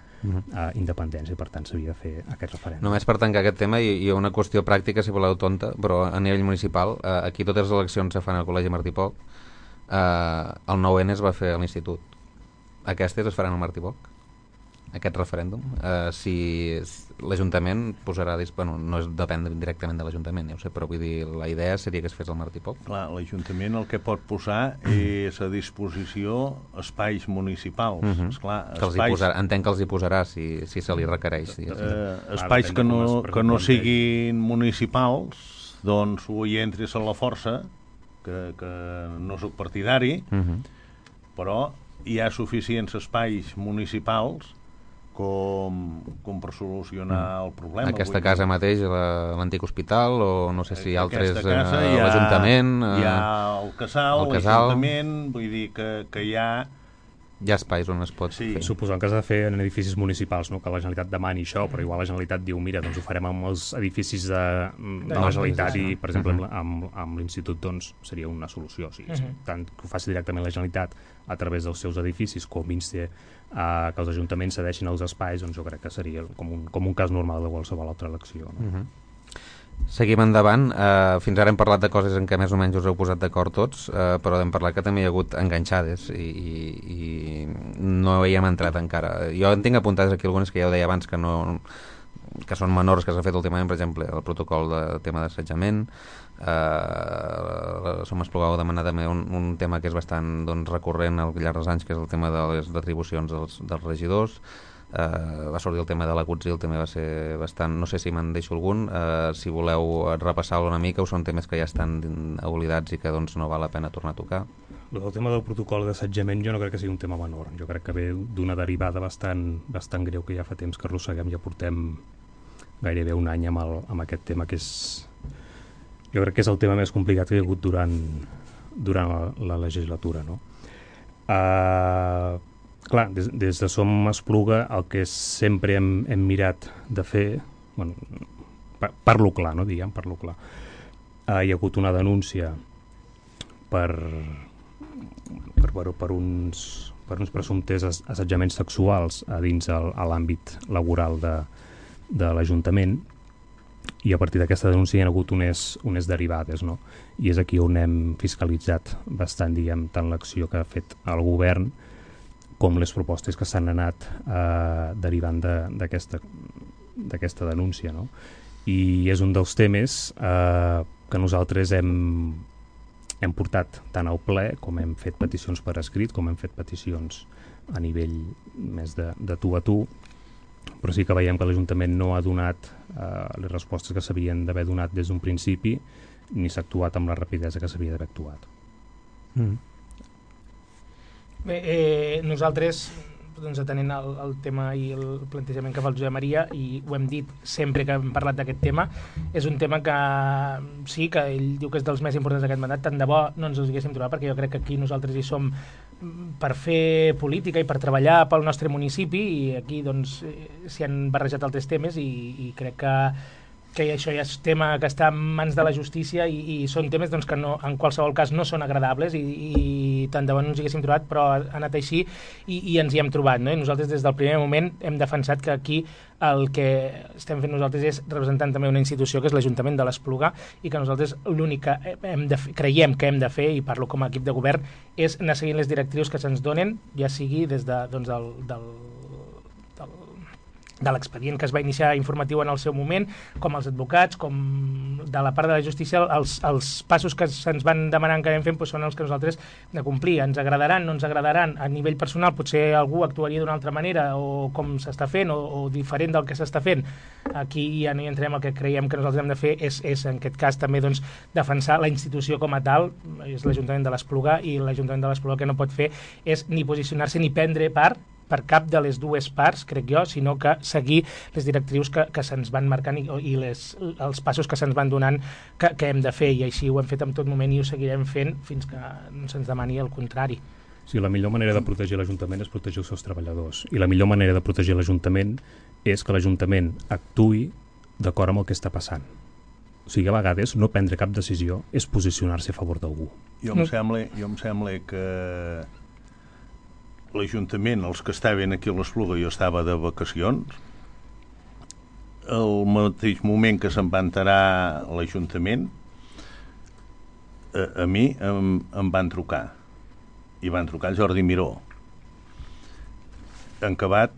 independència, i per tant s'havia de fer aquest referèndum. Només per tancar aquest tema, hi ha una qüestió pràctica, si voleu tonta, però a nivell municipal, aquí totes les eleccions se fan al Col·legi Martí Poch, el 9N es va fer a l'Institut, aquestes es faran al Martí Poch, aquest referèndum. Si l'Ajuntament posarà... Bueno, no depèn directament de l'Ajuntament, ja ho sé, però vull dir, la idea seria que es fes al Martí Poch. Clar, l'Ajuntament el que pot posar és a disposició espais municipals. Esclar, entenc que els hi posarà si se li requereix. Espais que no siguin municipals, doncs ho hi entris a la força, que no soc partidari, però hi ha suficients espais municipals com per solucionar el problema. Aquesta casa mateix, l'antic hospital, o no sé si altres, l'Ajuntament... Hi ha el Casal, l'Ajuntament, vull dir que hi ha Hi ha espais on es pot fer. Suposant que s'ha de fer en edificis municipals, no? Que la Generalitat demani això, però igual la Generalitat diu, mira, doncs ho farem amb els edificis de la Generalitat i, per exemple, amb l'Institut, doncs, seria una solució. Sí, tant que ho faci directament la Generalitat a través dels seus edificis, com insti que els ajuntaments cedeixin els espais, doncs jo crec que seria com un cas normal de qualsevol altra elecció. No? Seguim endavant. Fins ara hem parlat de coses en què més o menys us heu posat d'acord tots, però hem parlat que també hi ha hagut enganxades i no hi hem entrat encara. Jo en tinc apuntades aquí algunes que ja ho deia abans que són menors que s'ha fet últimament, per exemple, el protocol de tema d'assetjament. Som Espluga demanar també un tema que és bastant recurrent al llarg dels anys, que és el tema de les retribucions dels regidors. Va sortir el tema de la CUTSIL, també va ser bastant, no sé si me'n deixo algun, si voleu repassar-lo una mica, o són temes que ja estan oblidats i que doncs no val la pena tornar a tocar. El tema del protocol d'assetjament jo no crec que sigui un tema menor, jo crec que ve d'una derivada bastant greu que ja fa temps que arrosseguem, ja portem gairebé un any amb aquest tema, que és, jo crec que és el tema més complicat que hi ha hagut durant la legislatura, no? Clar, des de Som Espluga el que sempre hem mirat de fer, bueno, parlo clar, no, diguem, parlo clar. Hi ha hagut una denúncia per uns presumptes assetjaments sexuals a dins l'àmbit laboral de l'Ajuntament, i a partir d'aquesta denúncia hi ha hagut unes derivades, no? I és aquí on hem fiscalitzat bastant, diguem, tant l'acció que ha fet el govern com les propostes que s'han anat derivant d'aquesta denúncia, no? I és un dels temes que nosaltres hem portat tant al ple, com hem fet peticions per escrit, com hem fet peticions a nivell més de tu a tu, però sí que veiem que l'Ajuntament no ha donat les respostes que s'havien d'haver donat des d'un principi, ni s'ha actuat amb la rapidesa que s'havia d'haver actuat. Bé, nosaltres, doncs, atenent el tema i el plantejament que fa el Josep Maria, i ho hem dit sempre que hem parlat d'aquest tema, és un tema que sí, que ell diu que és dels més importants d'aquest mandat, tant de bo no ens els haguéssim trobat, perquè jo crec que aquí nosaltres hi som per fer política i per treballar pel nostre municipi, i aquí doncs s'hi han barrejat altres temes i crec que això ja és tema que està en mans de la justícia i són temes doncs, que no, en qualsevol cas no són agradables i tant de bo no ens hi haguéssim trobat, però ha anat així i ens hi hem trobat, no? I nosaltres des del primer moment hem defensat que aquí el que estem fent nosaltres és representant també una institució que és l'Ajuntament de l'Espluga, i que nosaltres l'únic que creiem que hem de fer, i parlo com a equip de govern, és anar seguint les directrius que se'ns donen, ja sigui des de, doncs, de l'expedient que es va iniciar informatiu en el seu moment, com els advocats, com de la part de la justícia, els passos que se'ns van demanant que anem fent doncs són els que nosaltres hem de complir. Ens agradaran, no ens agradaran, a nivell personal potser algú actuaria d'una altra manera o com s'està fent o diferent del que s'està fent. Aquí ja no hi entrem, el que creiem que nosaltres hem de fer és en aquest cas també doncs, defensar la institució com a tal, és l'Ajuntament de l'Espluga, i l'Ajuntament de l'Espluga que no pot fer és ni posicionar-se ni prendre part per cap de les dues parts, crec jo, sinó que seguir les directrius que se'ns van marcant i els passos que se'ns van donant que hem de fer, i així ho hem fet en tot moment i ho seguirem fent fins que no se'ns demani el contrari. Sí, la millor manera de protegir l'Ajuntament és protegir els seus treballadors, i la millor manera de protegir l'Ajuntament és que l'Ajuntament actuï d'acord amb el que està passant. O sigui, a vegades no prendre cap decisió és posicionar-se a favor d'algú. Jo em sembla que l'Ajuntament, els que estaven aquí a l'Espluga, jo estava de vacacions, al mateix moment que se'n va enterar l'Ajuntament, a mi em van trucar, i van trucar el Jordi Miró. En acabat,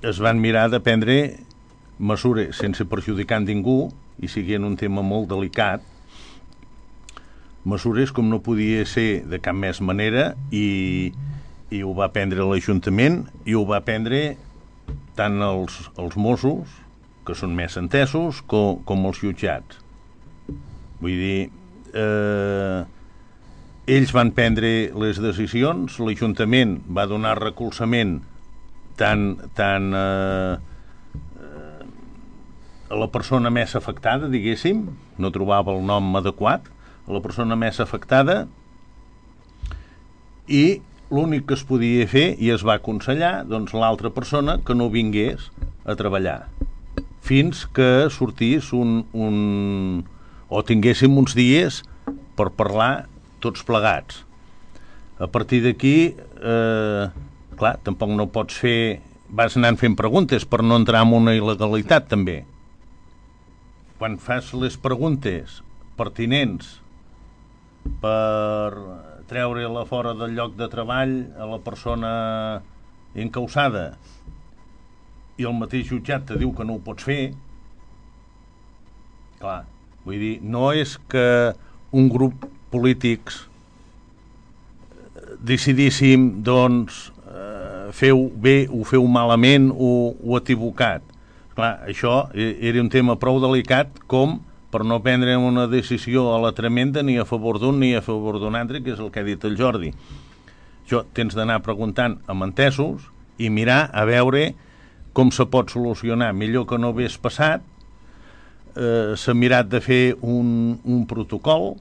es van mirar de prendre mesures sense perjudicar ningú, i siguent un tema molt delicat, mesures com no podia ser de cap més manera, i ho va prendre l'Ajuntament i ho va prendre tant els Mossos, que són més entesos, com els jutjats. Vull dir, ells van prendre les decisions, l'Ajuntament va donar recolzament tant a la persona més afectada, diguéssim, no trobava el nom adequat, a la persona més afectada, i l'únic que es podia fer, i es va aconsellar, doncs, l'altra persona que no vingués a treballar fins que sortís o tinguéssim uns dies per parlar tots plegats. A partir d'aquí, clar, tampoc no pots fer... Vas anant fent preguntes per no entrar en una il·legalitat, també. Quan fas les preguntes pertinents per treure-la fora del lloc de treball a la persona encausada i el mateix jutjat te diu que no ho pots fer, clar, vull dir, no és que un grup polítics decidíssim, doncs, feu bé o feu malament o equivocat. Clar, això era un tema prou delicat com per no prendre una decisió a la tremenda ni a favor d'un ni a favor d'un altre, que és el que ha dit el Jordi. Això tens d'anar preguntant amb entesos i mirar a veure com se pot solucionar. Millor que no hagués passat, s'ha mirat de fer un protocol,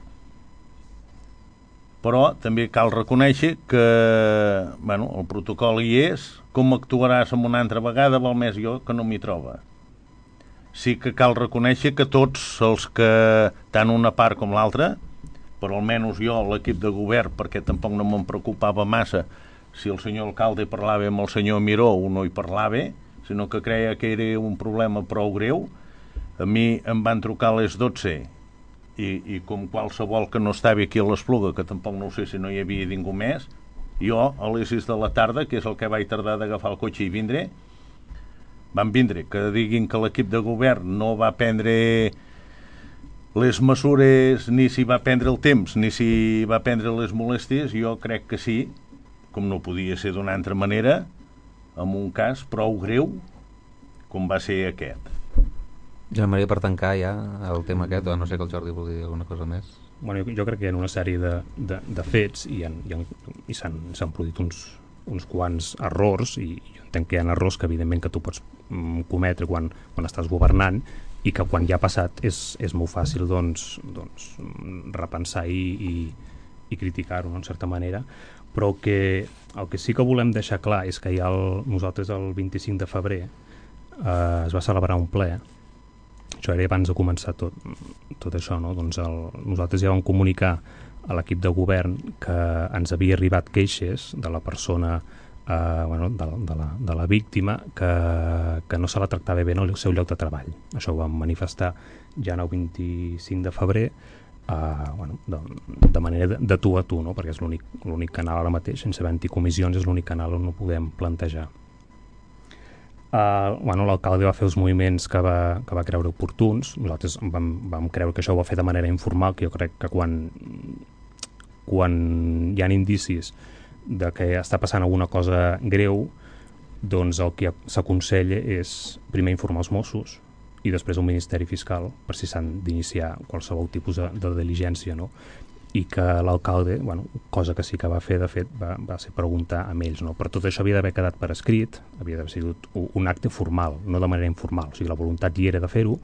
però també cal reconèixer que el protocol hi és, com actuaràs en una altra vegada, val més jo que no m'hi troba. Sí que cal reconèixer que tots els que, tant una part com l'altra, però almenys jo, l'equip de govern, perquè tampoc no me'n preocupava massa si el senyor alcalde parlava amb el senyor Miró o no hi parlava, sinó que creia que era un problema prou greu. A mi em van trucar a les 12 i com qualsevol que no estava aquí a l'Espluga, que tampoc no ho sé si no hi havia ningú més, jo a les 6 de la tarda, que és el que vaig tardar d'agafar el cotxe i vindre, van vindre, que diguin que l'equip de govern no va prendre les mesures, ni si va prendre el temps, ni si va prendre les molèsties. Jo crec que sí, com no podia ser d'una altra manera, en un cas prou greu com va ser aquest. Joan Maria, per tancar ja el tema aquest, o no sé que el Jordi vulgui dir alguna cosa més. Bueno, jo crec que hi ha una sèrie de fets i s'han produït uns quants errors, i jo entenc que hi ha errors que evidentment que tu pots cometre quan estàs governant, i que quan ja ha passat és molt fàcil doncs repensar i criticar-ho, no, en certa manera. Però el que sí que volem deixar clar és que nosaltres el 25 de febrer es va celebrar un ple. Això era abans de començar tot això, no? Doncs nosaltres ja vam comunicar a l'equip de govern que ens havia arribat queixes de la persona, de la víctima, que no se la tractava bé en el seu lloc de treball. Això ho vam manifestar ja el 25 de febrer, de manera de tu a tu, no? Perquè és l'únic canal ara mateix, sense haver anticomissions, és l'únic canal on ho podem plantejar. L'alcalde va fer els moviments que va creure oportuns. Nosaltres vam creure que això ho va fer de manera informal, que jo crec que quan hi ha indicis de que està passant alguna cosa greu, doncs el que s'aconsella és primer informar els Mossos i després el Ministeri Fiscal per si s'han d'iniciar qualsevol tipus de diligència, no? I que l'alcalde, cosa que sí que va fer, de fet, va ser preguntar amb ells, no? Però tot això havia d'haver quedat per escrit, havia d'haver sigut un acte formal, no de manera informal. O sigui, la voluntat hi era de fer-ho,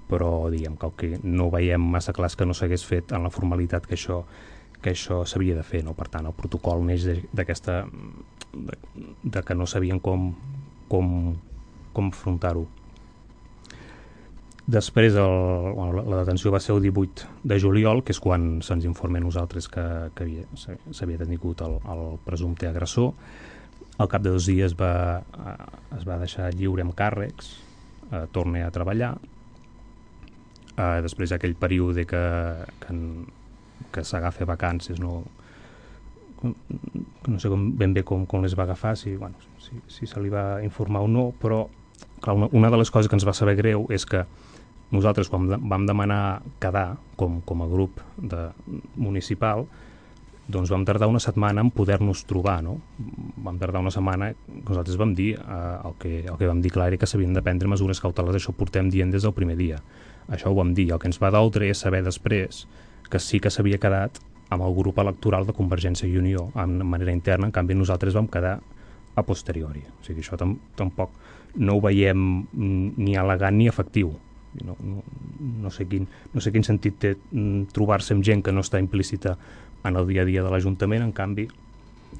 però diguem que el que no veiem massa clar és que no s'hagués fet en la formalitat que això s'havia de fer, no? Per tant, el protocol neix d'aquesta de que no sabien com afrontar-ho. Després la detenció va ser el 18 de juliol, que és quan se'ns informa a nosaltres que s'havia detingut el presumpte agressor. Al cap de 2 dies es va deixar lliure amb càrrecs, torna a treballar. Després d'aquell període que s'agafa vacances, no sé ben bé com les va agafar, si se li va informar o no, però clar, una de les coses que ens va saber greu és que nosaltres, quan vam demanar quedar com a grup municipal, doncs vam tardar una setmana en poder-nos trobar, no? Vam tardar una setmana, nosaltres vam dir, el que vam dir clar era que s'havien de prendre mesures cautelars, això ho portem dient des del primer dia. Això ho vam dir, el que ens va doldre és saber després que sí que s'havia quedat amb el grup electoral de Convergència i Unió, de manera interna. En canvi nosaltres vam quedar a posteriori. O sigui, això tampoc no ho veiem ni elegant ni efectiu. No sé quin sentit té trobar-se amb gent que no està implícita en el dia a dia de l'Ajuntament. En canvi,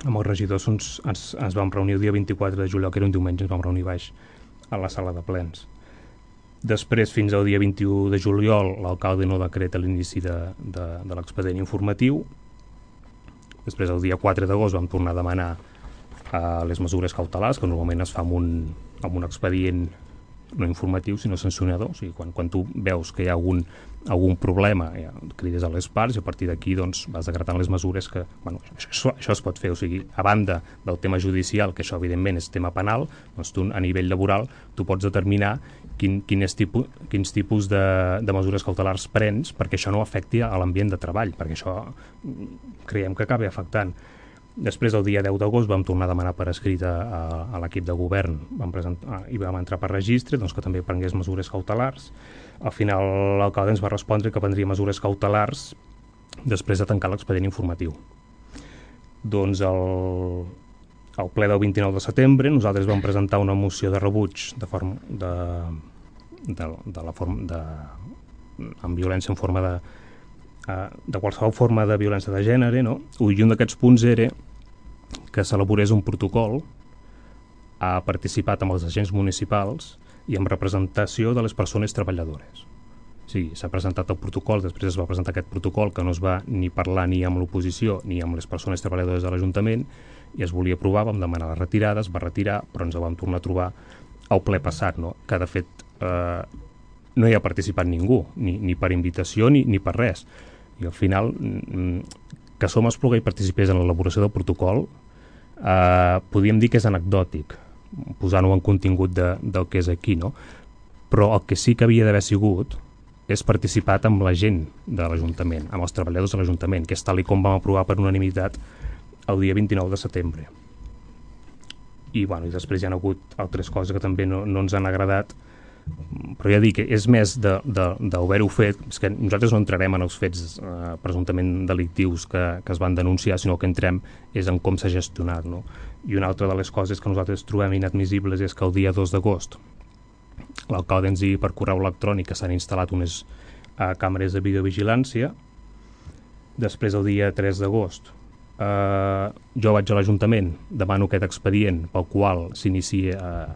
amb els regidors ens vam reunir el dia 24 de juliol, que era un diumenge, ens vam reunir baix a la sala de plens. Després, fins al dia 21 de juliol, l'alcalde no decreta l'inici de l'expedient informatiu. Després, el dia 4 d'agost, vam tornar a demanar les mesures cautelars, que normalment es fa amb un expedient no informatiu, sinó sancionador. O sigui, quan tu veus que hi ha algun problema, ja crides a les parts i a partir d'aquí doncs, vas decretant les mesures que... Bueno, això es pot fer. O sigui, a banda del tema judicial, que això evidentment és tema penal, doncs tu a nivell laboral tu pots determinar quins tipus de mesures cautelars prens perquè això no afecti a l'ambient de treball, perquè això creiem que acabi afectant. Després, el dia 10 d'agost, vam tornar a demanar per escrit a l'equip de govern i vam entrar per registre doncs, que també prengués mesures cautelars. Al final, l'alcalde ens va respondre que prendria mesures cautelars després de tancar l'expedient informatiu. Doncs al ple del 29 de setembre nosaltres vam presentar una moció de rebuig amb violència en forma de qualsevol forma de violència de gènere, no? I un d'aquests punts era que s'elaborés un protocol participat amb els agents municipals i amb representació de les persones treballadores. O sigui, s'ha presentat el protocol, després es va presentar aquest protocol que no es va ni parlar ni amb l'oposició ni amb les persones treballadores de l'Ajuntament i es volia aprovar, vam demanar la retirada, es va retirar, però ens el vam tornar a trobar al ple passat, no? Que de fet no hi ha participat ningú, ni per invitació ni per res. I al final, que Som Espluga hi participés en l'elaboració del protocol, podríem dir que és anecdòtic, posant-ho en contingut del que és aquí, no? Però el que sí que havia d'haver sigut és participat amb la gent de l'Ajuntament, amb els treballadors de l'Ajuntament, que és tal com vam aprovar per unanimitat el dia 29 de setembre. I després hi ha hagut altres coses que també no ens han agradat, però ja dic, és més d'haver-ho fet, és que nosaltres no entrarem en els fets presumptament delictius que es van denunciar, sinó que entrem és en com s'ha gestionat, no? I una altra de les coses que nosaltres trobem inadmissibles és que el dia 2 d'agost l'alcalde ens digui per correu electrònic que s'han instal·lat unes càmeres de videovigilància. Després, el dia 3 d'agost, jo vaig a l'Ajuntament, demano aquest expedient pel qual s'inicia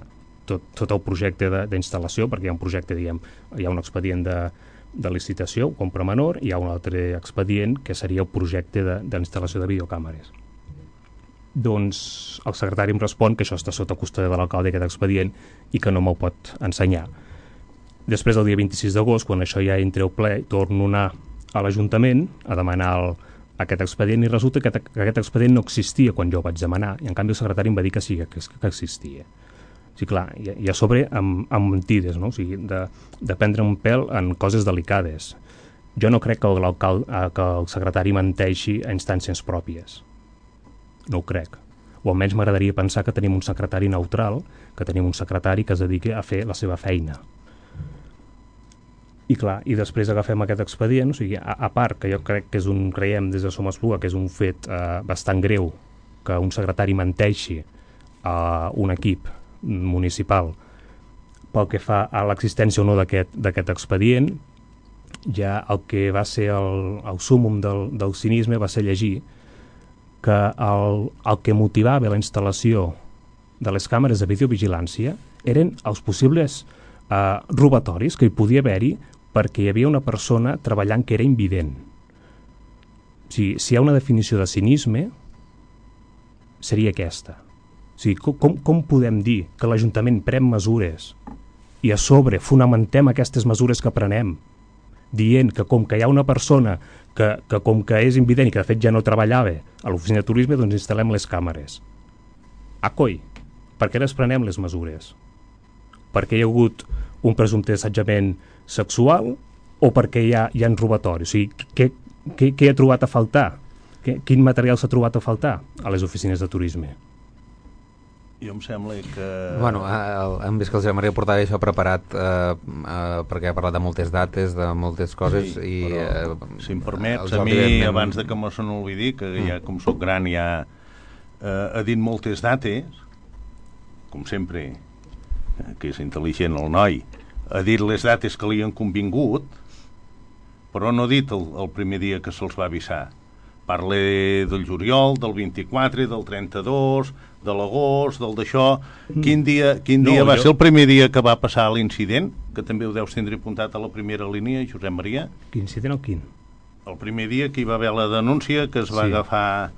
tot el projecte d'instal·lació, perquè hi ha un projecte, hi ha un expedient de licitació, compra menor, i hi ha un altre expedient que seria el projecte d'instal·lació de videocàmeres. Doncs el secretari em respon que això està sota custòdia de l'alcalde, aquest expedient, i que no me'l pot ensenyar. Després, el dia 26 d'agost, quan això ja entra al ple, torno a anar a l'Ajuntament a demanar aquest expedient i resulta que aquest expedient no existia quan jo vaig demanar, i en canvi el secretari em va dir que sí, que existia. Sí, clar, i a sobre amb mentides, no? O sigui, de prendre un pèl en coses delicades. Jo no crec que el secretari menteixi a instàncies pròpies. No ho crec. O almenys m'agradaria pensar que tenim un secretari neutral, que tenim un secretari que es dediqui a fer la seva feina. I clar, i després agafem aquest expedient, o sigui, a part que jo crec que creiem des de Som Espluga que és un fet bastant greu que un secretari menteixi a un equip municipal pel que fa a l'existència o no d'aquest expedient, ja el que va ser el súmmum del cinisme va ser llegir que el que motivava la instal·lació de les càmeres de videovigilància eren els possibles robatoris que hi podia haver-hi perquè hi havia una persona treballant que era invident. O sigui, si hi ha una definició de cinisme, seria aquesta. O sigui, com podem dir que l'Ajuntament pren mesures i a sobre fonamentem aquestes mesures que prenem dient que com que hi ha una persona que com que és invident i que de fet ja no treballava a l'oficina de turisme, doncs instal·lem les càmeres. Coi, per què les prenem les mesures? Perquè hi ha hagut un presumpte assetjament sexual o perquè hi ha robatoris? O sigui, què ha trobat a faltar? Quin material s'ha trobat a faltar a les oficines de turisme? Jo em sembla que... Bueno, hem vist que el Josep Maria portava això preparat perquè ha parlat de moltes dates, de moltes coses, sí, i... Però, si em permets, a mi, abans de que me se n'olvidi, que ja com soc gran ja ha dit moltes dates, com sempre, que és intel·ligent el noi, ha dit les dates que li han convingut, però no ha dit el primer dia que se'ls va avisar. Parle del juliol, del 24, del 32, de l'agost, del d'això. Quin dia va ser el primer dia que va passar l'incident? Que també ho deus tindre apuntat a la primera línia, Josep Maria. Quin incident o quin? El primer dia que hi va haver la denúncia, que es va agafar...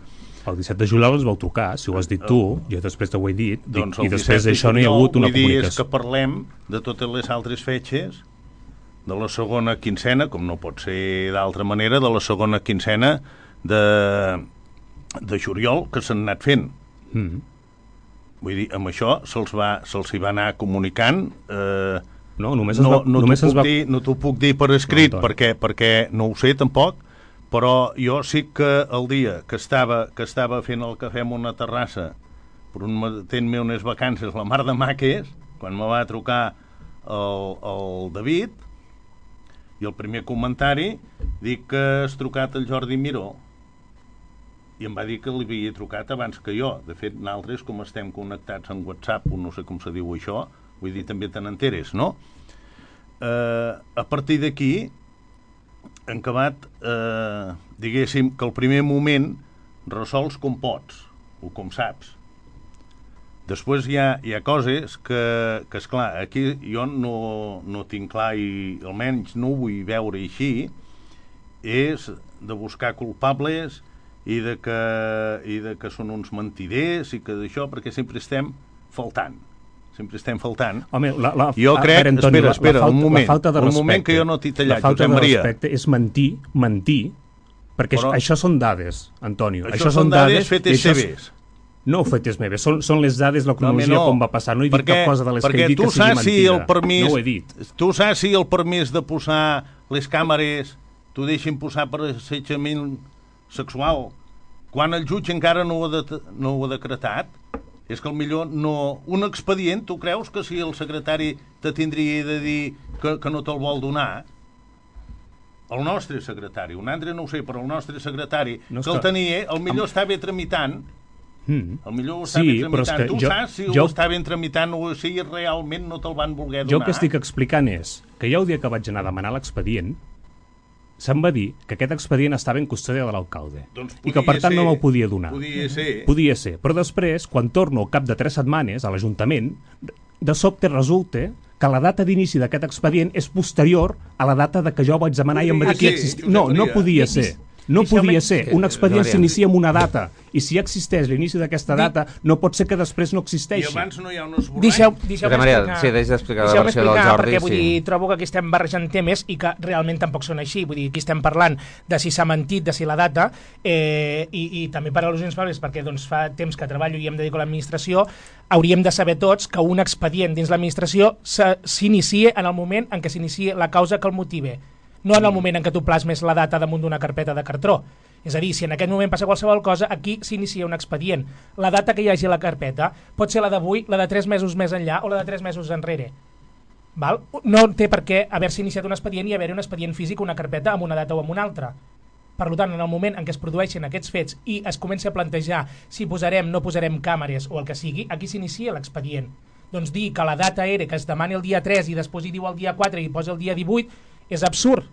El 17 de juliol ens vau trucar, si ho has dit tu, jo després t'ho he dit, doncs i després d'això no hi ha hagut una comunicació. Vull dir, és que parlem de totes les altres fetges, de la segona quincena, com no pot ser d'altra manera, de la segona quincena de juliol, que s'han anat fent. Vull dir, amb això se'ls hi va anar comunicant. No t'ho puc dir per escrit, perquè no ho sé tampoc, però jo sí que el dia que estava fent el cafè en una terrassa tenint-me unes vacances, la mar de maques, quan me va trucar el David, i el primer comentari dic que has trucat el Jordi Miró, i em va dir que li havia trucat abans que jo. De fet, nosaltres, com estem connectats en WhatsApp, no sé com se diu això, vull dir, també te n'enteres, no? A partir d'aquí han acabat, diguéssim, que el primer moment resols com pots o com saps. Després hi ha coses que esclar, aquí jo no tinc clar, i almenys no ho vull veure així, és de buscar culpables i de que són uns mentiders i que d'això, perquè sempre estem faltant. Home, jo crec, Antonio, espera, un moment que jo no t'he tallat, Josep Maria. La falta de respecte és mentir, perquè això són dades, Antonio. Això són dades fetes seves. No fetes meves, són les dades, la cronologia com va passar. No he dit cap cosa de les que he dit que sigui mentida. No ho he dit. Tu saps si el permís de posar les càmeres t'ho deixen posar per assetjament sexual quan el jutge encara no ho ha decretat? És que millor no... Un expedient, tu creus que si el secretari te tindria de dir que no te'l vol donar? El nostre secretari, un altre no ho sé, però el nostre secretari, que el tenia, el millor estava tramitant. El millor ho estava tramitant. Tu saps si ho estaven tramitant o si realment no te'l van voler donar? Jo el que estic explicant és que ja el dia que vaig anar a demanar l'expedient, se'm va dir que aquest expedient estava en custòdia de l'alcalde i que per tant no me'l podia donar. Podia ser. Però després, quan torno al cap de 3 setmanes a l'Ajuntament, de sobte resulta que la data d'inici d'aquest expedient és posterior a la data de que jo vaig demanar i em va dir que existia. No podia ser. No podia ser. Un expedient s'inicia amb una data i si existeix l'inici d'aquesta data no pot ser que després no existeixi. I abans no hi ha un esborrany. Deixeu-me explicar la versió del Jordi. Perquè vull dir, trobo que aquí estem barrejant temes i que realment tampoc són així. Vull dir, aquí estem parlant de si s'ha mentit, de si la data, i també per al·lusions fables, perquè doncs, fa temps que treballo i em dedico a l'administració, hauríem de saber tots que un expedient dins l'administració s'inicia en el moment en què s'inicia la causa que el motive, no en el moment en què tu plasmes la data damunt d'una carpeta de cartró. És a dir, si en aquest moment passa qualsevol cosa, aquí s'inicia un expedient. La data que hi hagi a la carpeta pot ser la d'avui, la de 3 mesos més enllà o la de 3 mesos enrere. Val? No té per què haver-se iniciat un expedient i haver-hi un expedient físic, una carpeta amb una data o amb una altra. Per tant, en el moment en què es produeixen aquests fets i es comença a plantejar si posarem, no posarem càmeres o el que sigui, aquí s'inicia l'expedient. Doncs dir que la data era que es demani el dia 3 i després hi diu el dia 4 i posa el dia 18, és absurd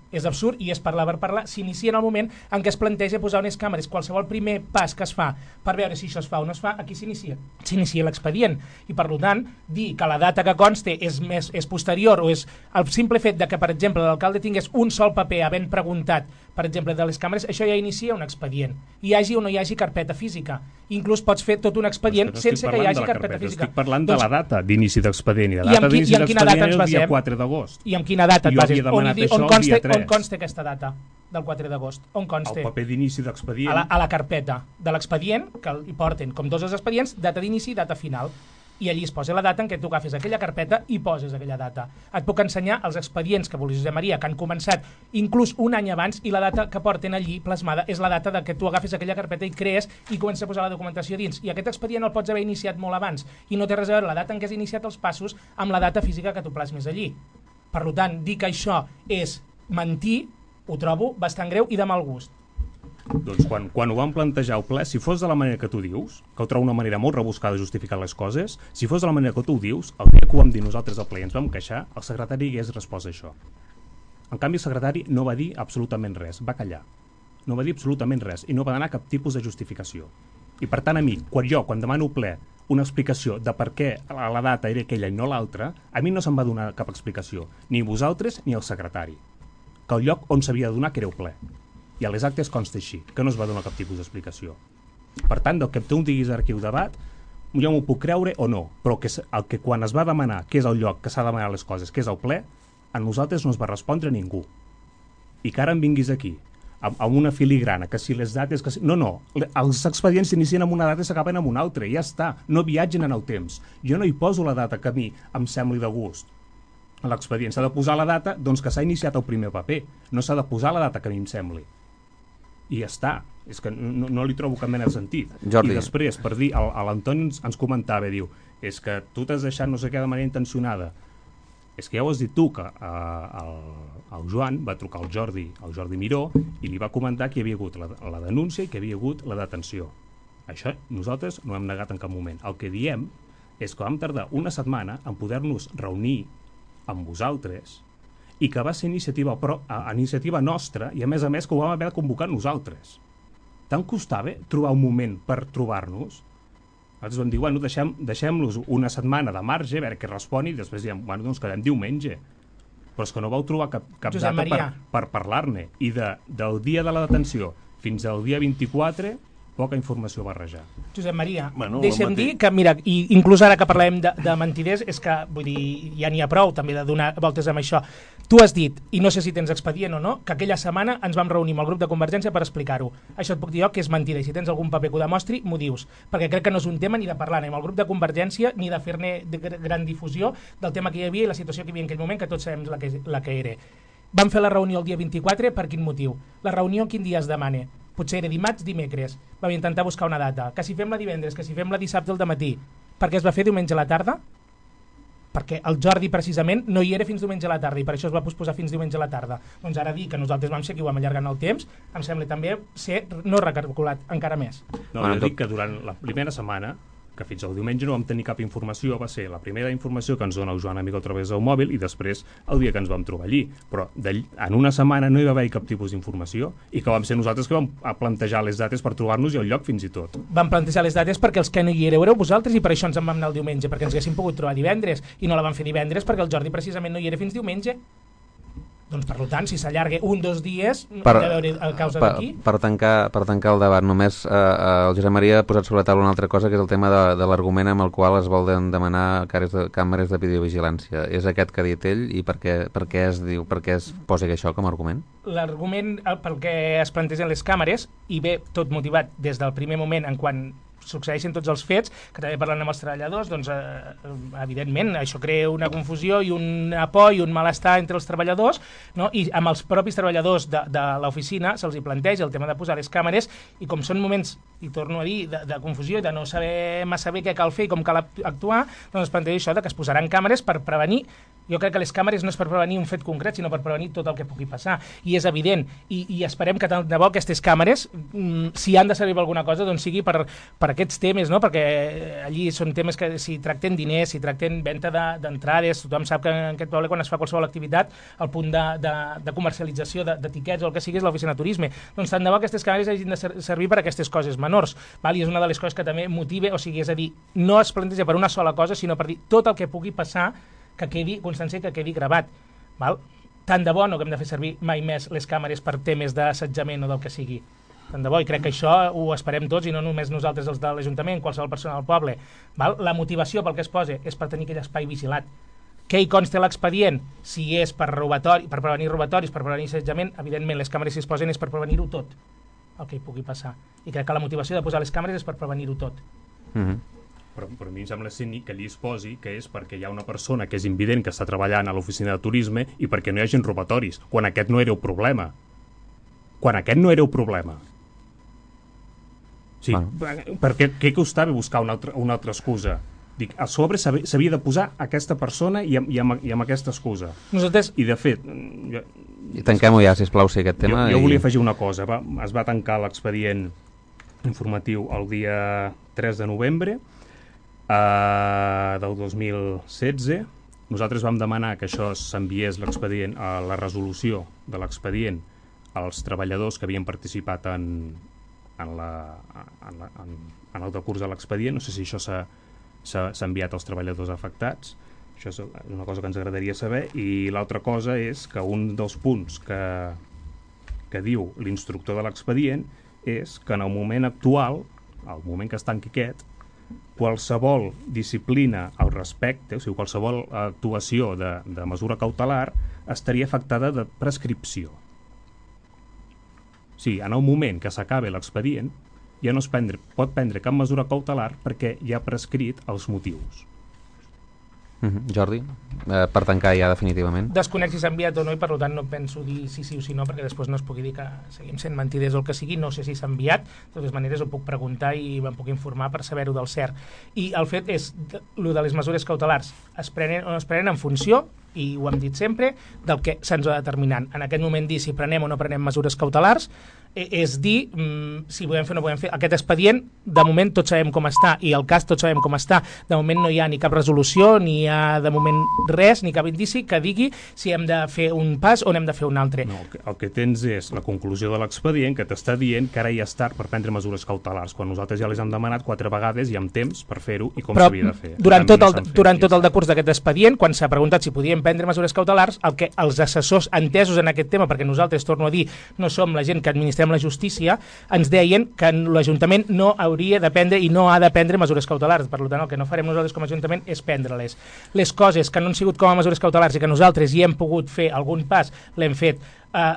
i és parlar per parlar. S'inicia en el moment en què es planteja posar unes càmeres. Qualsevol primer pas que es fa per veure si això es fa o no es fa, aquí s'inicia l'expedient. I per tant, dir que la data que conste és posterior o és el simple fet de que, per exemple, l'alcalde tingués un sol paper havent preguntat, per exemple, de les càmeres, això ja inicia un expedient. Hi hagi o no hi hagi carpeta física. Inclús pots fer tot un expedient sense que hi hagi carpeta física. Estic parlant de la data d'inici d'expedient. I la data d'inici d'expedient és el dia 4 d'agost. I amb quina data et bases? On consta aquesta data del 4 d'agost? On consta? El paper d'inici d'expedient. A la carpeta de l'expedient, que hi porten com dos expedients, data d'inici i data final. I allí es posa la data en què tu agafes aquella carpeta i poses aquella data. Et puc ensenyar els expedients que vulguis, Josep Maria, que han començat inclús un any abans i la data que porten allí plasmada és la data de que tu agafes aquella carpeta i crees i comences a posar la documentació dins. I aquest expedient el pots haver iniciat molt abans i no té res a veure la data en què has iniciat els passos amb la data física que tu plasmes allí. Per tant, dir que això és mentir ho trobo bastant greu i de mal gust. Doncs quan ho vam plantejar al ple, si fos de la manera que tu dius, que ho trobo una manera molt rebuscada de justificar les coses, si fos de la manera que tu ho dius, el dia que ho vam dir nosaltres al ple i ens vam queixar, el secretari hagués respost això. En canvi, el secretari no va dir absolutament res, va callar. no va dir absolutament res i no va donar cap tipus de justificació. I per tant a mi, quan demano ple una explicació de per què la data era aquella i no l'altra, a mi no se'm va donar cap explicació, ni vosaltres ni el secretari, que el lloc on s'havia de donar que era el ple. I a les actes consta així, que no es va donar cap tipus d'explicació. Per tant, del que tu em diguis ara aquí el debat, jo m'ho puc creure o no, però el que quan es va demanar què és el lloc que s'ha de demanar les coses, que és el ple, a nosaltres no es va respondre ningú. I que ara em vinguis aquí, amb una filigrana, que si les dates... Que si... No, els expedients s'inicien amb una data i s'acaben amb una altra, ja està, no viatgen en el temps. Jo no hi poso la data que a mi em sembli de gust. A l'expedient s'ha de posar la data doncs que s'ha iniciat el primer paper, no s'ha de posar la data que a mi em sembli. I ja està, és que no li trobo cap mena de sentit. Jordi. I després, per dir, l'Antoni ens comentava, diu, és que tu t'has deixat no sé què de manera intencionada. És que ja ho has dit tu, que el Joan va trucar al Jordi Miró i li va comentar que hi havia hagut la denúncia i que hi havia hagut la detenció. Això nosaltres no hem negat en cap moment. El que diem és que vam tardar una setmana en poder-nos reunir amb vosaltres i que va ser iniciativa nostra i a més que ho vam haver de convocar nosaltres. Tant costava trobar un moment per trobar-nos? Nosaltres vam dir, bueno, deixem-los una setmana de marge, a veure què responi, i després diem, bueno, doncs quedem diumenge. Però és que no vau trobar cap data per parlar-ne. I del dia de la detenció fins al dia 24, poca informació barrejar. Josep Maria, deixa'm dir que, mira, i inclús ara que parlem de mentiders, és que, vull dir, ja n'hi ha prou també de donar voltes amb això. Tu has dit, i no sé si tens expedient o no, que aquella setmana ens vam reunir amb el grup de Convergència per explicar-ho. Això et puc dir jo que és mentida, i si tens algun paper que ho demostri, m'ho dius, perquè crec que no és un tema ni de parlar-ne amb el grup de Convergència ni de fer-ne gran difusió del tema que hi havia i la situació que hi havia en aquell moment, que tots sabem la que era. Vam fer la reunió el dia 24, per quin motiu? La reunió quin dia es demana? Potser era dimarts, dimecres. Vam intentar buscar una data. Que si fem la divendres, que si fem la dissabte al dematí. Per què es va fer diumenge a la tarda? Perquè el Jordi precisament no hi era fins diumenge a la tarda i per això es va posposar fins diumenge a la tarda. Doncs ara dir que nosaltres vam ser qui ho vam allargar en el temps em sembla també ser no recalculat encara més. No, jo dic que durant la primera setmana, que fins al diumenge no vam tenir cap informació, va ser la primera informació que ens dona el Joan Amigo a través del mòbil i després el dia que ens vam trobar allí. Però en una setmana no hi va haver cap tipus d'informació i que vam ser nosaltres que vam plantejar les dates per trobar-nos i el lloc fins i tot. Vam plantejar les dates perquè els que no hi éreu vosaltres i per això ens en vam anar el diumenge, perquè ens haguéssim pogut trobar divendres i no la vam fer divendres perquè el Jordi precisament no hi era fins diumenge. Doncs per tant, si s'allarga 1-2 dies, hem de veure a causa d'aquí. Per tancar el debat, només el Josep Maria ha posat sobre la taula una altra cosa, que és el tema de l'argument amb el qual es volen demanar càmeres de videovigilància. És aquest que ha dit ell i per què es posa això com a argument? L'argument pel que es plantegen les càmeres, i ve tot motivat des del primer moment en quan succeeixen tots els fets, que també parlant amb els treballadors, doncs evidentment això crea una confusió i una por i un malestar entre els treballadors, no? I amb els propis treballadors de l'oficina se'ls hi planteja el tema de posar les càmeres i com són moments, i torno a dir, de confusió i de no saber massa bé què cal fer i com cal actuar, doncs es planteja això de que es posaran càmeres per prevenir. Jo crec que les càmeres no és per prevenir un fet concret, sinó per prevenir tot el que pugui passar. I és evident. I esperem que tant de bo aquestes càmeres, si han de servir per alguna cosa, doncs sigui per aquests temes, no? Perquè allí són temes que si tracten diners, si tracten venda d'entrades, tothom sap que en aquest poble quan es fa qualsevol activitat, el punt de comercialització d'etiquets o el que sigui és l'oficina de turisme. Doncs tant de bo aquestes càmeres hagin de servir per a aquestes coses menors. Val? I és una de les coses que també motiva, o sigui, és a dir, no es planteja per una sola cosa, sinó per dir tot el que pugui passar que quedi constància, que quedi gravat. Val? Tant de bo no que hem de fer servir mai més les càmeres per temes d'assetjament o del que sigui. Tant de bo, i crec que això ho esperem tots i no només nosaltres els de l'Ajuntament, qualsevol persona del poble. Val? La motivació pel que es posa és per tenir aquell espai vigilat. Què hi consta l'expedient? Si és per prevenir robatoris, per prevenir assetjament, evidentment les càmeres si es posen és per prevenir-ho tot, el que hi pugui passar. I crec que la motivació de posar les càmeres és per prevenir-ho tot. Però a mi em sembla que allí es posi que és perquè hi ha una persona que és invident que està treballant a l'oficina de turisme i perquè no hi hagin robatoris, quan aquest no era el problema. Sí, perquè què costava buscar una altra excusa? Dic, a sobre s'havia de posar aquesta persona i amb aquesta excusa. Nosaltres... I de fet... I tanquem-ho ja, sisplau, si aquest tema... Jo volia afegir una cosa. Es va tancar l'expedient informatiu el dia 3 de novembre del 2016. Nosaltres vam demanar que això s'enviés l'expedient a la resolució de l'expedient els treballadors que havien participat en el decurs de l'expedient. No sé si això s'ha enviat als treballadors afectats. Això és una cosa que ens agradaria saber. I l'altra cosa és que un dels punts que diu l'instructor de l'expedient és que en el moment actual, al moment que es tanqui aquest, qualsevol disciplina al respecte, o sigui, qualsevol actuació de mesura cautelar estaria afectada de prescripció. O sigui, en el moment que s'acabi l'expedient ja no pot prendre cap mesura cautelar perquè ja ha prescrit els motius. Jordi, per tancar ja definitivament. Desconec si s'ha enviat o no, i per tant no penso dir sí o sí no, perquè després no es pugui dir que seguim sent mentiders o el que sigui. No sé si s'ha enviat, de totes maneres ho puc preguntar i me'n puc informar per saber-ho del cert. I el fet és, el de les mesures cautelars es prenen o no es prenen en funció, i ho hem dit sempre, del que se'ns va determinant. En aquest moment dir si prenem o no prenem mesures cautelars és dir si podem fer o no podem fer. Aquest expedient, de moment tots sabem com està, i el cas tots sabem com està. De moment no hi ha ni cap resolució, ni hi ha de moment res, ni cap indici que digui si hem de fer un pas o n'hem de fer un altre. No, el que tens és la conclusió de l'expedient que t'està dient que ara ja és tard per prendre mesures cautelars, quan nosaltres ja les hem demanat 4 vegades i amb temps per fer-ho i com s'havia de fer. Durant tot el decurs d'aquest expedient, quan s'ha preguntat si podíem prendre mesures cautelars, el que els assessors entesos en aquest tema, perquè nosaltres, torno a dir, no som la gent que administrem la justícia, ens deien que l'Ajuntament no hauria de prendre i no ha de prendre mesures cautelars. Per tant, el que no farem nosaltres com a Ajuntament és prendre-les. Les coses que no han sigut com a mesures cautelars i que nosaltres hi hem pogut fer algun pas, l'hem fet.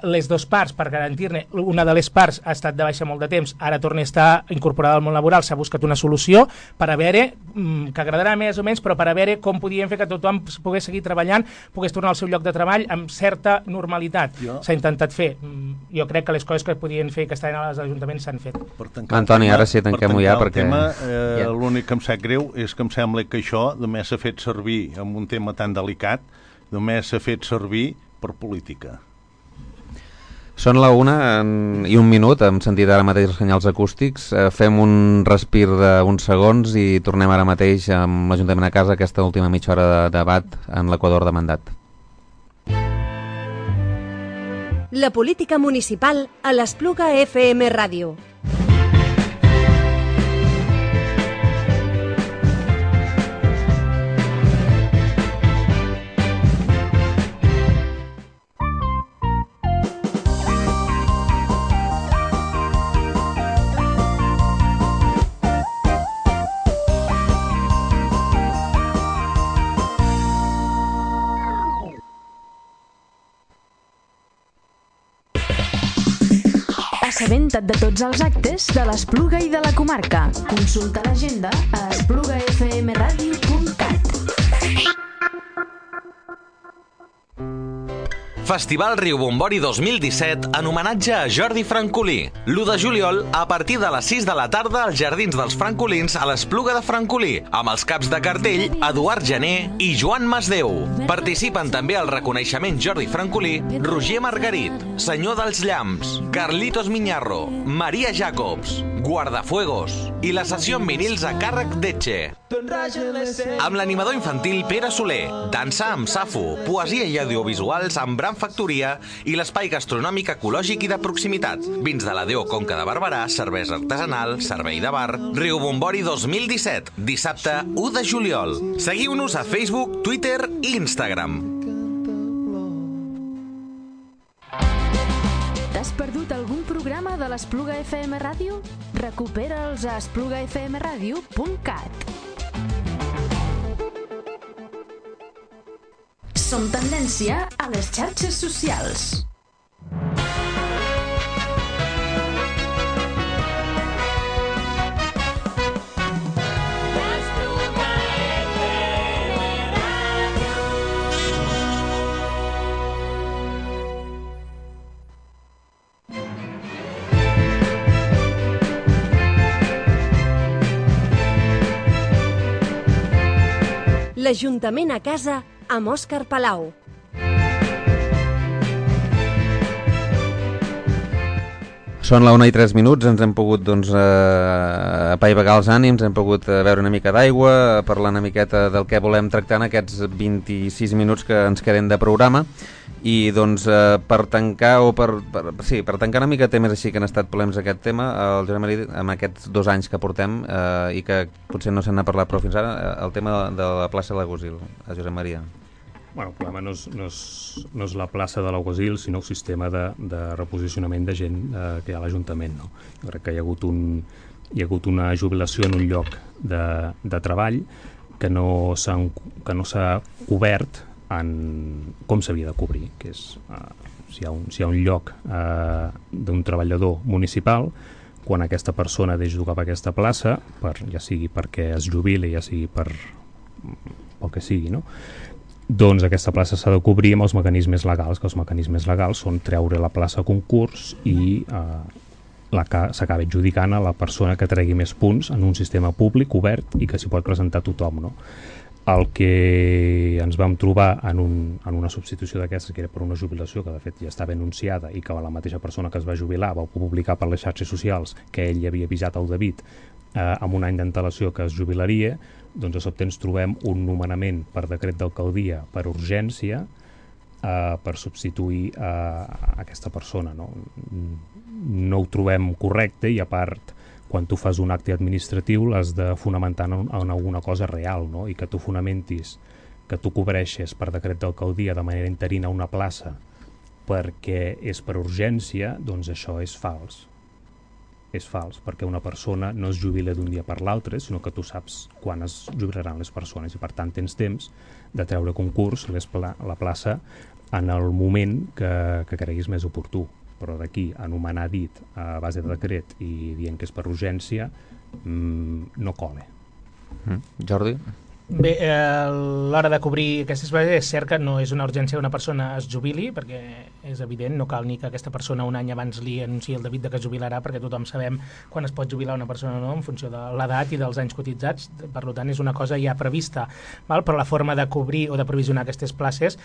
Les dues parts, per garantir-ne, una de les parts ha estat de baixa molt de temps, ara torna a estar incorporada al món laboral, s'ha buscat una solució per a veure, que agradarà més o menys, però per a veure com podíem fer que tothom pogués seguir treballant, pogués tornar al seu lloc de treball amb certa normalitat. S'ha intentat fer. Jo crec que les coses que podien fer i que estaven als ajuntaments s'han fet. Antoni, ara sí, tanquem-ho ja, perquè... L'únic que em sap greu és que em sembla que això només s'ha fet servir en un tema tan delicat, només s'ha fet servir per política. Són la 1 i 1 minut, hem sentit ara mateix els senyals acústics, fem un respir d'uns segons i tornem ara mateix amb l'Ajuntament a casa aquesta última mitja hora de debat en l'Equador de mandat. La política municipal a l'Espluga FM Ràdio. Assabenta't de tots els actes de l'Espluga i de la comarca. Consulta l'agenda a esplugafmradio.cat. Festival Riubombori 2017 en homenatge a Jordi Francolí. L'1 de juliol, a partir de les 6 de la tarda, als Jardins dels Francolins a l'Espluga de Francolí, amb els caps de cartell Eduard Gené i Joan Masdeu. Participen també el reconeixement Jordi Francolí, Roger Margarit, Senyor dels Llamps, Carlitos Miñarro, Maria Jacobs, Guardafuegos i la sessió en vinils a càrrec d'Etxe. Amb l'animador infantil Pere Soler, dansa amb Safo, poesia i audiovisuals amb Bram Factoria i l'espai gastronòmic ecològic i de proximitat. Vins de la Déu Conca de Barberà, cervesa artesanal, servei de bar. Riubombori 2017, dissabte 1 de juliol. Seguiu-nos a Facebook, Twitter i Instagram. T'has perdut algun programa de l'Espluga FM Ràdio? Recupera'ls a esplugafmradio.cat. Som tendència a les xarxes socials. L'Ajuntament a casa amb Òscar Palau. Són la 1:03, ens hem pogut apaivagar els ànims, hem pogut beure una mica d'aigua, parlar una miqueta del que volem tractar en aquests 26 minuts que ens queden de programa. I per tancar per tancar una mica temes així que han estat polèmics aquest tema, el Josep Maria, amb aquests 2 anys que portem i que potser no se n'ha parlat prou fins ara, el tema de la plaça de l'Agosil, Josep Maria. Bueno, el problema no és la plaça de l'Agosil, sinó el sistema de reposicionament de gent que hi ha a l'Ajuntament, no? Jo crec que hi ha hagut una jubilació en un lloc de treball que no s'ha cobert com s'havia de cobrir, que és si hi ha un lloc d'un treballador municipal, quan aquesta persona deixa d'ocupar aquesta plaça, ja sigui perquè es jubili, ja sigui pel que sigui, no? Doncs aquesta plaça s'ha de cobrir amb els mecanismes legals, que els mecanismes legals són treure la plaça a concurs i s'acaba adjudicant a la persona que tregui més punts en un sistema públic obert i que s'hi pot presentar tothom, no? El que ens vam trobar en una substitució d'aquestes, que era per una jubilació que de fet ja estava anunciada i que la mateixa persona que es va jubilar va publicar per les xarxes socials que ell havia avisat al David amb un any d'antelació que es jubilaria, doncs de sobte ens trobem un nomenament per decret d'alcaldia per urgència per substituir aquesta persona, no? No ho trobem correcte i a part quan tu fas un acte administratiu l'has de fonamentar en alguna cosa real, no? I que tu fonamentis que tu cobreixes per decret d'alcaldia de manera interina una plaça perquè és per urgència, doncs això és fals. És fals, perquè una persona no es jubila d'un dia per l'altre, sinó que tu saps quan es jubilaran les persones i per tant tens temps de treure a concurs la plaça en el moment que creguis més oportú. Però d'aquí a anomenar dit a base de decret i dient que és per urgència no cola. Jordi? Bé, a l'hora de cobrir aquestes bases és cert que no és una urgència que una persona es jubili, perquè és evident, no cal ni que aquesta persona un any abans li anunciï el David que es jubilarà, perquè tothom sabem quan es pot jubilar una persona o no en funció de l'edat i dels anys cotitzats, per tant és una cosa ja prevista, val? Però la forma de cobrir o de provisionar aquestes places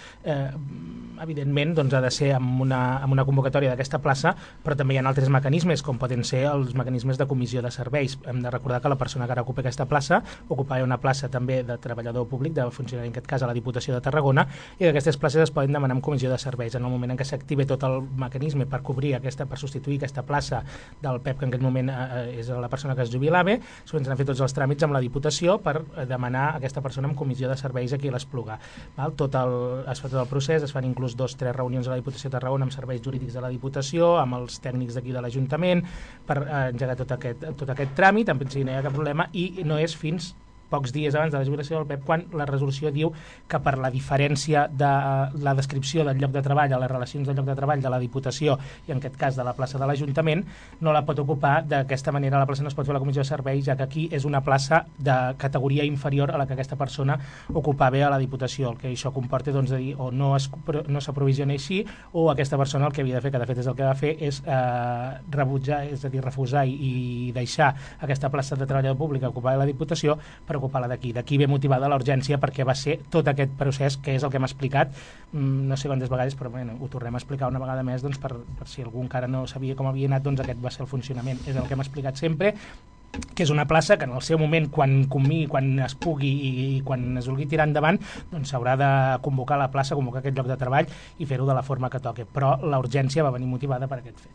evidentment doncs, ha de ser amb una convocatòria d'aquesta plaça, però també hi ha altres mecanismes, com poden ser els mecanismes de comissió de serveis. Hem de recordar que la persona que ara ocupa aquesta plaça ocupava una plaça també de treballador públic, de funcionari en aquest cas a la Diputació de Tarragona, i d'aquestes places es poden demanar en comissió de serveis. En el moment en què s'active tot el mecanisme per cobrir per substituir aquesta plaça del PEP, que en aquest moment és la persona que es jubilava, s'han fet tots els tràmits amb la Diputació per demanar a aquesta persona en comissió de serveis aquí a l'Espluga. Es fa tot el procés, es fan inclús 2 o 3 reunions a la Diputació de Tarragona amb serveis jurídics de la Diputació, amb els tècnics d'aquí de l'Ajuntament, per engegar tot aquest tràmit, en principi no hi ha cap problema, i no és fins pocs dies abans de la jubilació del PEP quan la resolució diu que per la diferència de la descripció del lloc de treball a les relacions del lloc de treball de la Diputació i en aquest cas de la plaça de l'Ajuntament no la pot ocupar d'aquesta manera, la plaça no es pot fer a la comissió de serveis, ja que aquí és una plaça de categoria inferior a la que aquesta persona ocupava a la Diputació, el que això comporta doncs, de dir o no s'aprovisiona així o aquesta persona el que havia de fer, que de fet és el que va fer, és rebutjar, és a dir, refusar i deixar aquesta plaça de treballador públic que ocupava la Diputació per ocupar-la d'aquí. D'aquí ve motivada la urgència perquè va ser tot aquest procés que és el que hem explicat, no sé quantes vegades, però bueno, ho tornem a explicar una vegada més doncs, per si algú encara no sabia com havia anat, doncs aquest va ser el funcionament. És el que hem explicat sempre, que és una plaça que en el seu moment, quan es pugui i quan es vulgui tirar endavant, doncs s'haurà de convocar la plaça, convocar aquest lloc de treball i fer-ho de la forma que toqui. Però la urgència va venir motivada per aquest fet.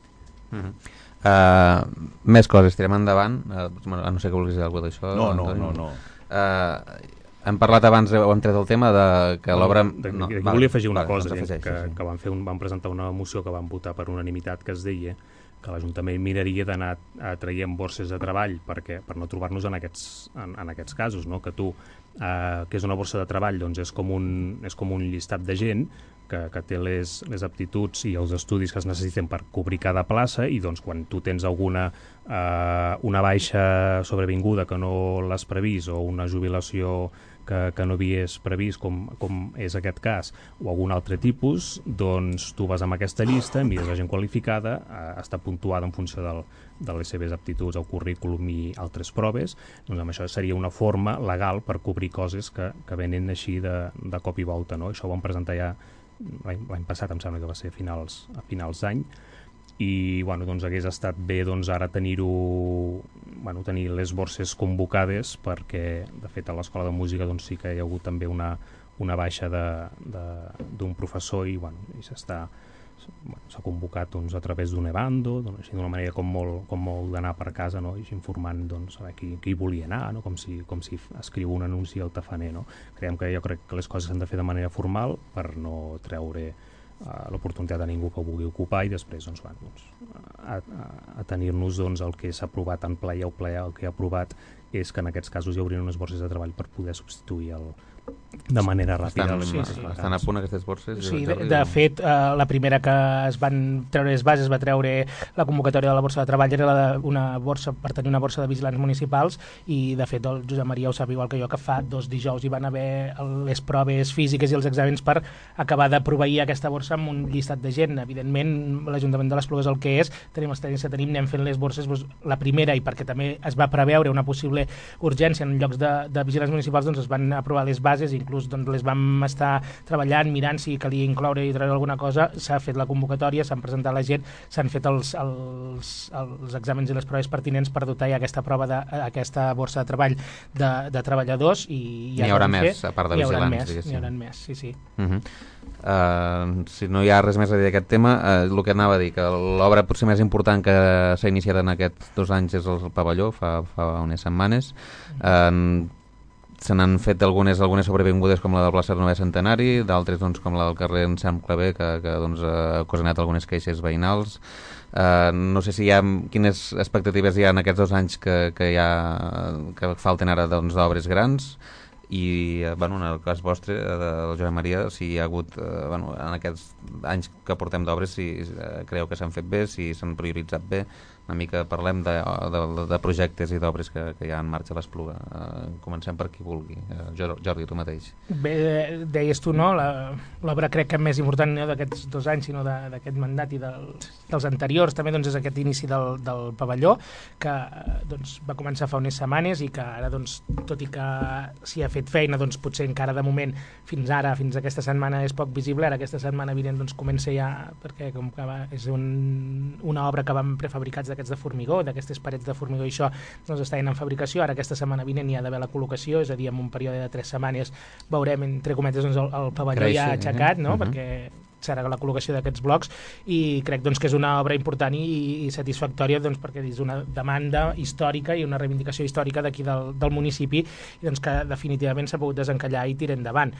Més coses, tirem endavant. No sé que vulguis dir alguna cosa d'això. No. Hem parlat abans, hem tret el tema de que l'obra... Volia afegir una cosa, que van presentar una moció que van votar per unanimitat que es deia que l'Ajuntament miraria d'anar traient borses de treball per no trobar-nos en aquests casos, no? Que que és una borsa de treball, doncs és com un llistat de gent que té les aptituds i els estudis que es necessiten per cobrir cada plaça i doncs quan tu tens una baixa sobrevinguda que no l'has previst o una jubilació que no havies previst, com és aquest cas, o algun altre tipus, doncs tu vas amb aquesta llista, mires la gent qualificada, està puntuada en funció de les seves aptituds al currículum i altres proves, doncs amb això seria una forma legal per cobrir coses que venen així de cop i volta, no? Això ho vam presentar ja l'any passat, em sembla que va ser a finals d'any, i doncs hagués estat bé ara tenir les borses convocades, perquè de fet a l'Escola de Música sí que hi ha hagut també una baixa d'un professor i s'ha convocat a través d'un e-bando, d'una manera com molt d'anar per casa, no? I informant a qui volia anar, no? com si escriu un anunci al tafaner. No? Jo crec que les coses s'han de fer de manera formal per no treure l'oportunitat a ningú que ho vulgui ocupar i després a tenir-nos el que s'ha aprovat en ple i el ple el que ha aprovat és que en aquests casos hi haurien unes borses de treball per poder substituir de manera ràpida. Estan a punt aquestes borses? Sí, de fet, la primera que es van treure les bases, va treure la convocatòria de la borsa de treball, era una borsa per tenir una borsa de vigilants municipals i de fet el Josep Maria ho sap igual que jo, que fa 2 dijous hi van haver les proves físiques i els exàmens per acabar de proveir aquesta borsa amb un llistat de gent. Evidentment, l'Ajuntament de l'Espluga és el que és, tenim l'experiència, anem fent les borses, la primera, i perquè també es va preveure una possible urgència en llocs de vigilants municipals, es van aprovar les bases, inclús les vam estar treballant, mirant si calia incloure i treure alguna cosa, s'ha fet la convocatòria, s'han presentat la gent, s'han fet els exàmens i les proves pertinents per dotar ja aquesta prova d'aquesta borsa de treball de treballadors i n'hi haurà més, a part de vigilants, n'hi haurà més, sí. Si no hi ha res més a dir d'aquest tema, el que anava a dir, que l'obra potser més important que s'ha iniciat en aquests 2 anys és el pavelló, fa unes setmanes. Se n'han fet algunes sobrevingudes com la del plaça del 9è Centenari, d'altres com la del carrer Ensenyant Clavé, que ha ocasionat algunes queixes veïnals. No sé si quines expectatives hi ha en aquests 2 anys que falten ara d'obres grans, i en el cas vostre, del Josep Maria, si hi ha hagut, en aquests anys que portem d'obres, si creu que s'han fet bé, si s'han prioritzat bé. Una mica parlem de projectes i d'obres que hi ha en marxa a l'Espluga. Comencem per qui vulgui. Jordi, tu mateix. Bé, deies tu, no? L'obra crec que més important no d'aquests 2 anys, sinó d'aquest mandat i dels anteriors, també és aquest inici del pavelló, que va començar fa unes setmanes i que ara, tot i que s'hi ha fet feina, potser encara de moment, fins aquesta setmana és poc visible, ara aquesta setmana vinent comença ja, perquè com que és una obra que vam prefabricats d'aquests de formigó, d'aquestes parets de formigó, i això estan en fabricació. Ara aquesta setmana vinent hi ha d'haver la col·locació, és a dir, en un període de 3 setmanes veurem, entre cometes, el pavelló ja aixecat, no? Perquè serà la col·locació d'aquests blocs, i crec que és una obra important i satisfactòria, perquè és una demanda històrica i una reivindicació històrica d'aquí del municipi, i que definitivament s'ha pogut desencallar i tirar endavant.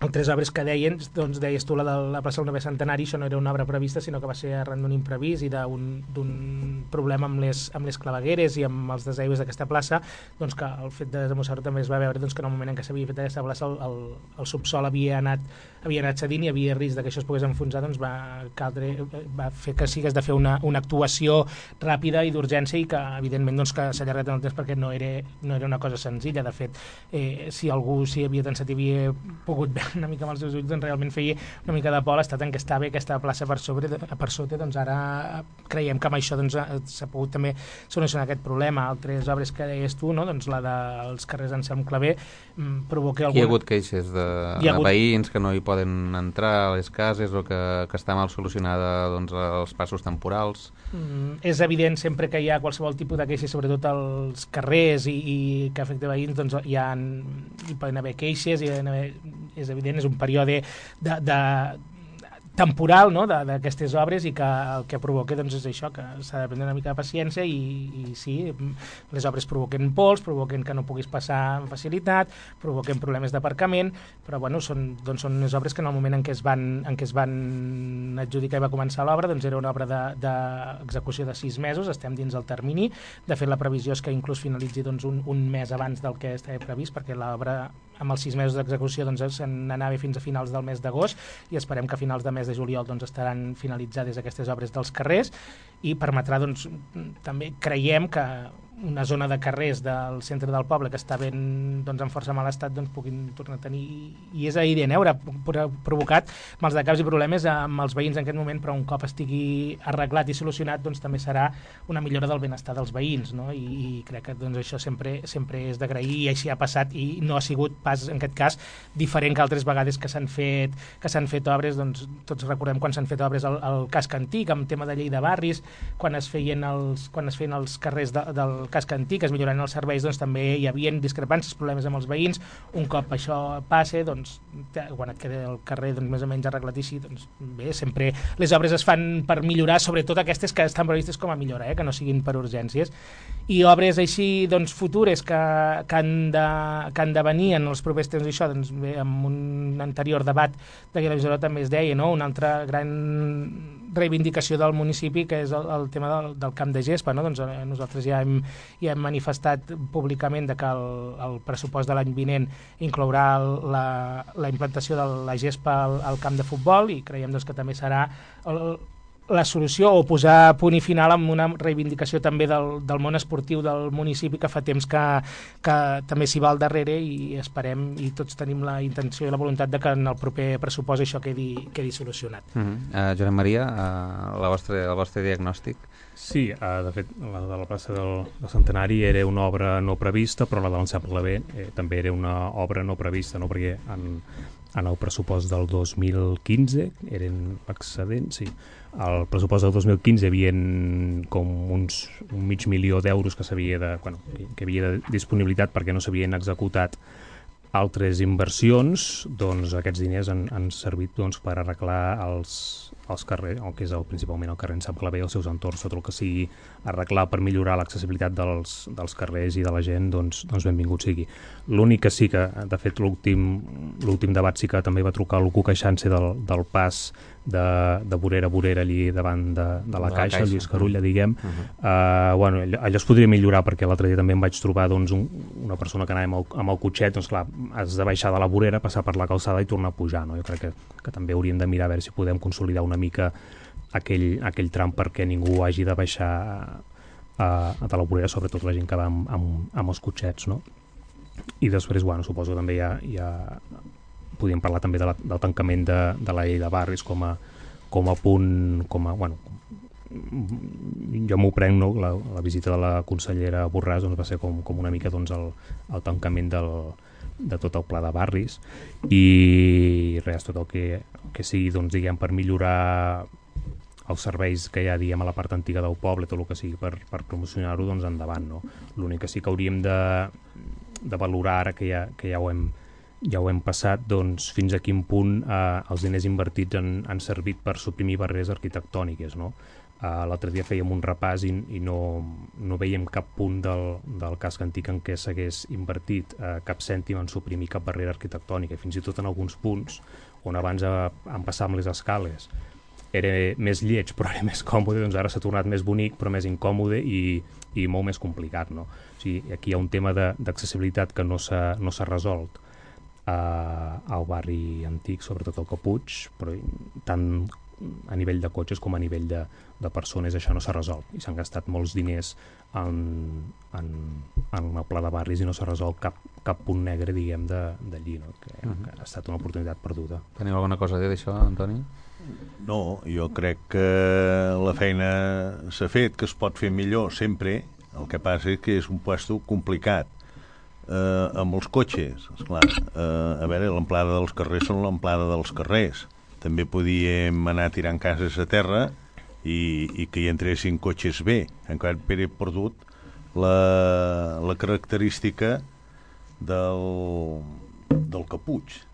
Altres obres que deies tu, la de la plaça del 9è Centenari, això no era una obra prevista, sinó que va ser arran d'un imprevist i d'un problema amb les clavegueres i amb els desaigües d'aquesta plaça, que el fet de desembossar-ho també es va veure que en el moment en què s'havia fet aquesta plaça el subsol havia anat cedint i havia risc que això es pogués enfonsar, va fer que sí que has de fer una actuació ràpida i d'urgència, i que evidentment que s'ha allargat en el temps perquè no era una cosa senzilla. De fet, si algú s'hi havia pensat i havia pogut veure una mica amb els seus ulls, realment feia una mica de por l'estat en què estava aquesta plaça per sota. Ara creiem que amb això s'ha pogut també solucionar aquest problema. Altres obres que deies tu, la dels carrers Anselm Clavé, provoca algun... Hi ha hagut queixes de veïns que no hi poden entrar a les cases, o que està mal solucionada els passos temporals. És evident, sempre que hi ha qualsevol tipus de queixes, sobretot als carrers i que afecta veïns, hi poden haver queixes, és evident, és un període temporal, no?, d'aquestes obres, i que el que provoca és això, que s'ha de prendre una mica de paciència, i sí, les obres provoquen pols, provoquen que no puguis passar amb facilitat, provoquen problemes d'aparcament, però són unes obres que en el moment en què es van adjudicar i va començar l'obra, era una obra d'execució de 6 mesos, estem dins el termini. De fet, la previsió és que inclús finalitzi un mes abans del que estava previst, perquè l'obra amb els 6 mesos d'execució se n'anava fins a finals del mes d'agost, i esperem que a finals de mes de juliol estaran finalitzades aquestes obres dels carrers, i permetrà també creiem que una zona de carrers del centre del poble que està ben, doncs, en força mal estat, doncs puguin tornar a tenir, i és la idea, haurà provocat mals de caps i problemes amb els veïns en aquest moment, però un cop estigui arreglat i solucionat, doncs també serà una millora del benestar dels veïns, no? I crec que doncs, això sempre és d'agrair, i així ha passat, i no ha sigut pas en aquest cas diferent que altres vegades que s'han fet obres. Doncs tots recordem quan s'han fet obres al casc antic, amb tema de llei de barris, quan es feien els carrers del casc antic, es milloraven els serveis, doncs també hi havia discrepàncies, problemes amb els veïns. Un cop això passe, doncs quan et queda el carrer doncs, més o menys arreglat i així, doncs bé, sempre les obres es fan per millorar, sobretot aquestes que estan previstes com a millora, que no siguin per urgències. I obres així doncs, futures que han de venir en els propers temps, això, doncs, bé, amb un anterior debat de la visora també es deia, no? Una altra gran reivindicació del municipi, que és el tema del camp de gespa, no? Doncs nosaltres ja hem manifestat públicament que el pressupost de l'any vinent inclourà la implantació de la gespa al camp de futbol, i creiem doncs, que també serà la solució, o posar punt i final amb una reivindicació també del món esportiu del municipi, que fa temps que també s'hi va al darrere, i esperem, i tots tenim la intenció i la voluntat de que en el proper pressupost això quedi solucionat. Josep Maria, el vostre diagnòstic? Sí, de fet, la de la plaça del Centenari era una obra no prevista, però la de l'Ensemble B també era una obra no prevista, no? Perquè en el pressupost del 2015 eren excedents, sí. Al pressupost del 2015 hi havia com un $500.000 que havia de disponibilitat perquè no s'havien executat altres inversions. Doncs aquests diners han servit doncs, per arreglar els carrers, el que és principalment el carrer Ensemble B i els seus entorns, tot el que sigui arreglar per millorar l'accessibilitat dels carrers i de la gent, doncs benvingut sigui. L'únic que sí que, de fet, l'últim debat sí que també va trucar l'Ucu queixant-se del pas de vorera a vorera allí davant de la Caixa, Lluís Carulla, diguem. Bueno, allò es podria millorar, perquè l'altre dia també em vaig trobar doncs, una persona que anava amb el cotxet, doncs clar, has de baixar de la vorera, passar per la calçada i tornar a pujar, no? Jo crec que també hauríem de mirar a veure si podem consolidar una mica aquell tram perquè ningú hagi de baixar de la vorera, sobretot la gent que va amb els cotxets, no? I després, bueno, suposo que també ja podríem parlar també del tancament de la llei de barris com a punt, bueno, jo m'ho prenc, no? La visita de la consellera Borràs doncs, va ser com una mica doncs, el tancament de tot el pla de barris, i res, tot el que sigui doncs, diguem, per millorar els serveis que hi ha, diguem, a la part antiga del poble, tot el que sigui per promocionar-ho, doncs endavant, no? L'únic que sí que hauríem de valorar ara que ja ho hem passat, doncs fins a quin punt els diners invertits han servit per suprimir barreres arquitectòniques, no? L'altre dia fèiem un repàs i no veiem cap punt del casc antic en què s'hagués invertit cap cèntim en suprimir cap barrera arquitectònica, fins i tot en alguns punts on abans han passat amb les escales era més lleig però era més còmode, doncs ara s'ha tornat més bonic però més incòmode i molt més complicat, no? O sigui, aquí hi ha un tema d'accessibilitat que no s'ha resolt al barri antic, sobretot al Capuig, però tant a nivell de cotxes com a nivell de persones això no s'ha resolt, i s'han gastat molts diners en el pla de barris i no s'ha resolt cap punt negre, diguem, d'allí, no? Que ha estat una oportunitat perduda. Teniu alguna cosa a dir d'això, Antoni? No, jo crec que la feina s'ha fet, que es pot fer millor sempre. El que passa és que és un puesto complicat. Amb els cotxes, esclar, a veure, l'amplada dels carrers són l'amplada dels carrers. També podíem anar tirant cases a terra i que hi entressin cotxes bé. Encara he perdut la característica del Capuig.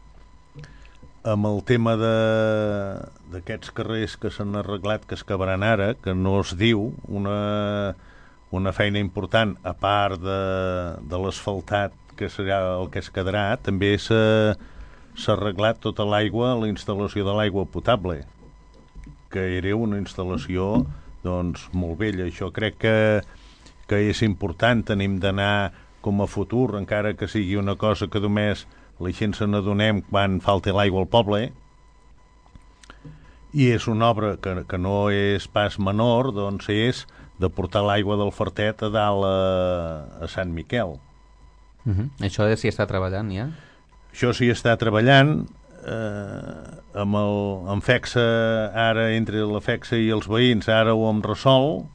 Amb el tema d'aquests carrers que s'han arreglat, que es acabaran ara, que no es diu una feina important, a part de l'asfaltat, que serà el que es quedarà, també s'ha arreglat tota l'aigua, la instal·lació de l'aigua potable, que era una instal·lació doncs, molt vella. Això crec que és important, tenim d'anar com a futur, encara que sigui una cosa que només la gent se n'adonem quan falta l'aigua al poble, i és una obra que no és pas menor, doncs és de portar l'aigua del Fartet a dalt a Sant Miquel. Això s'hi està treballant ja? Això s'hi està treballant amb FECSA, ara entre la FECSA i els veïns, ara ho hem resol.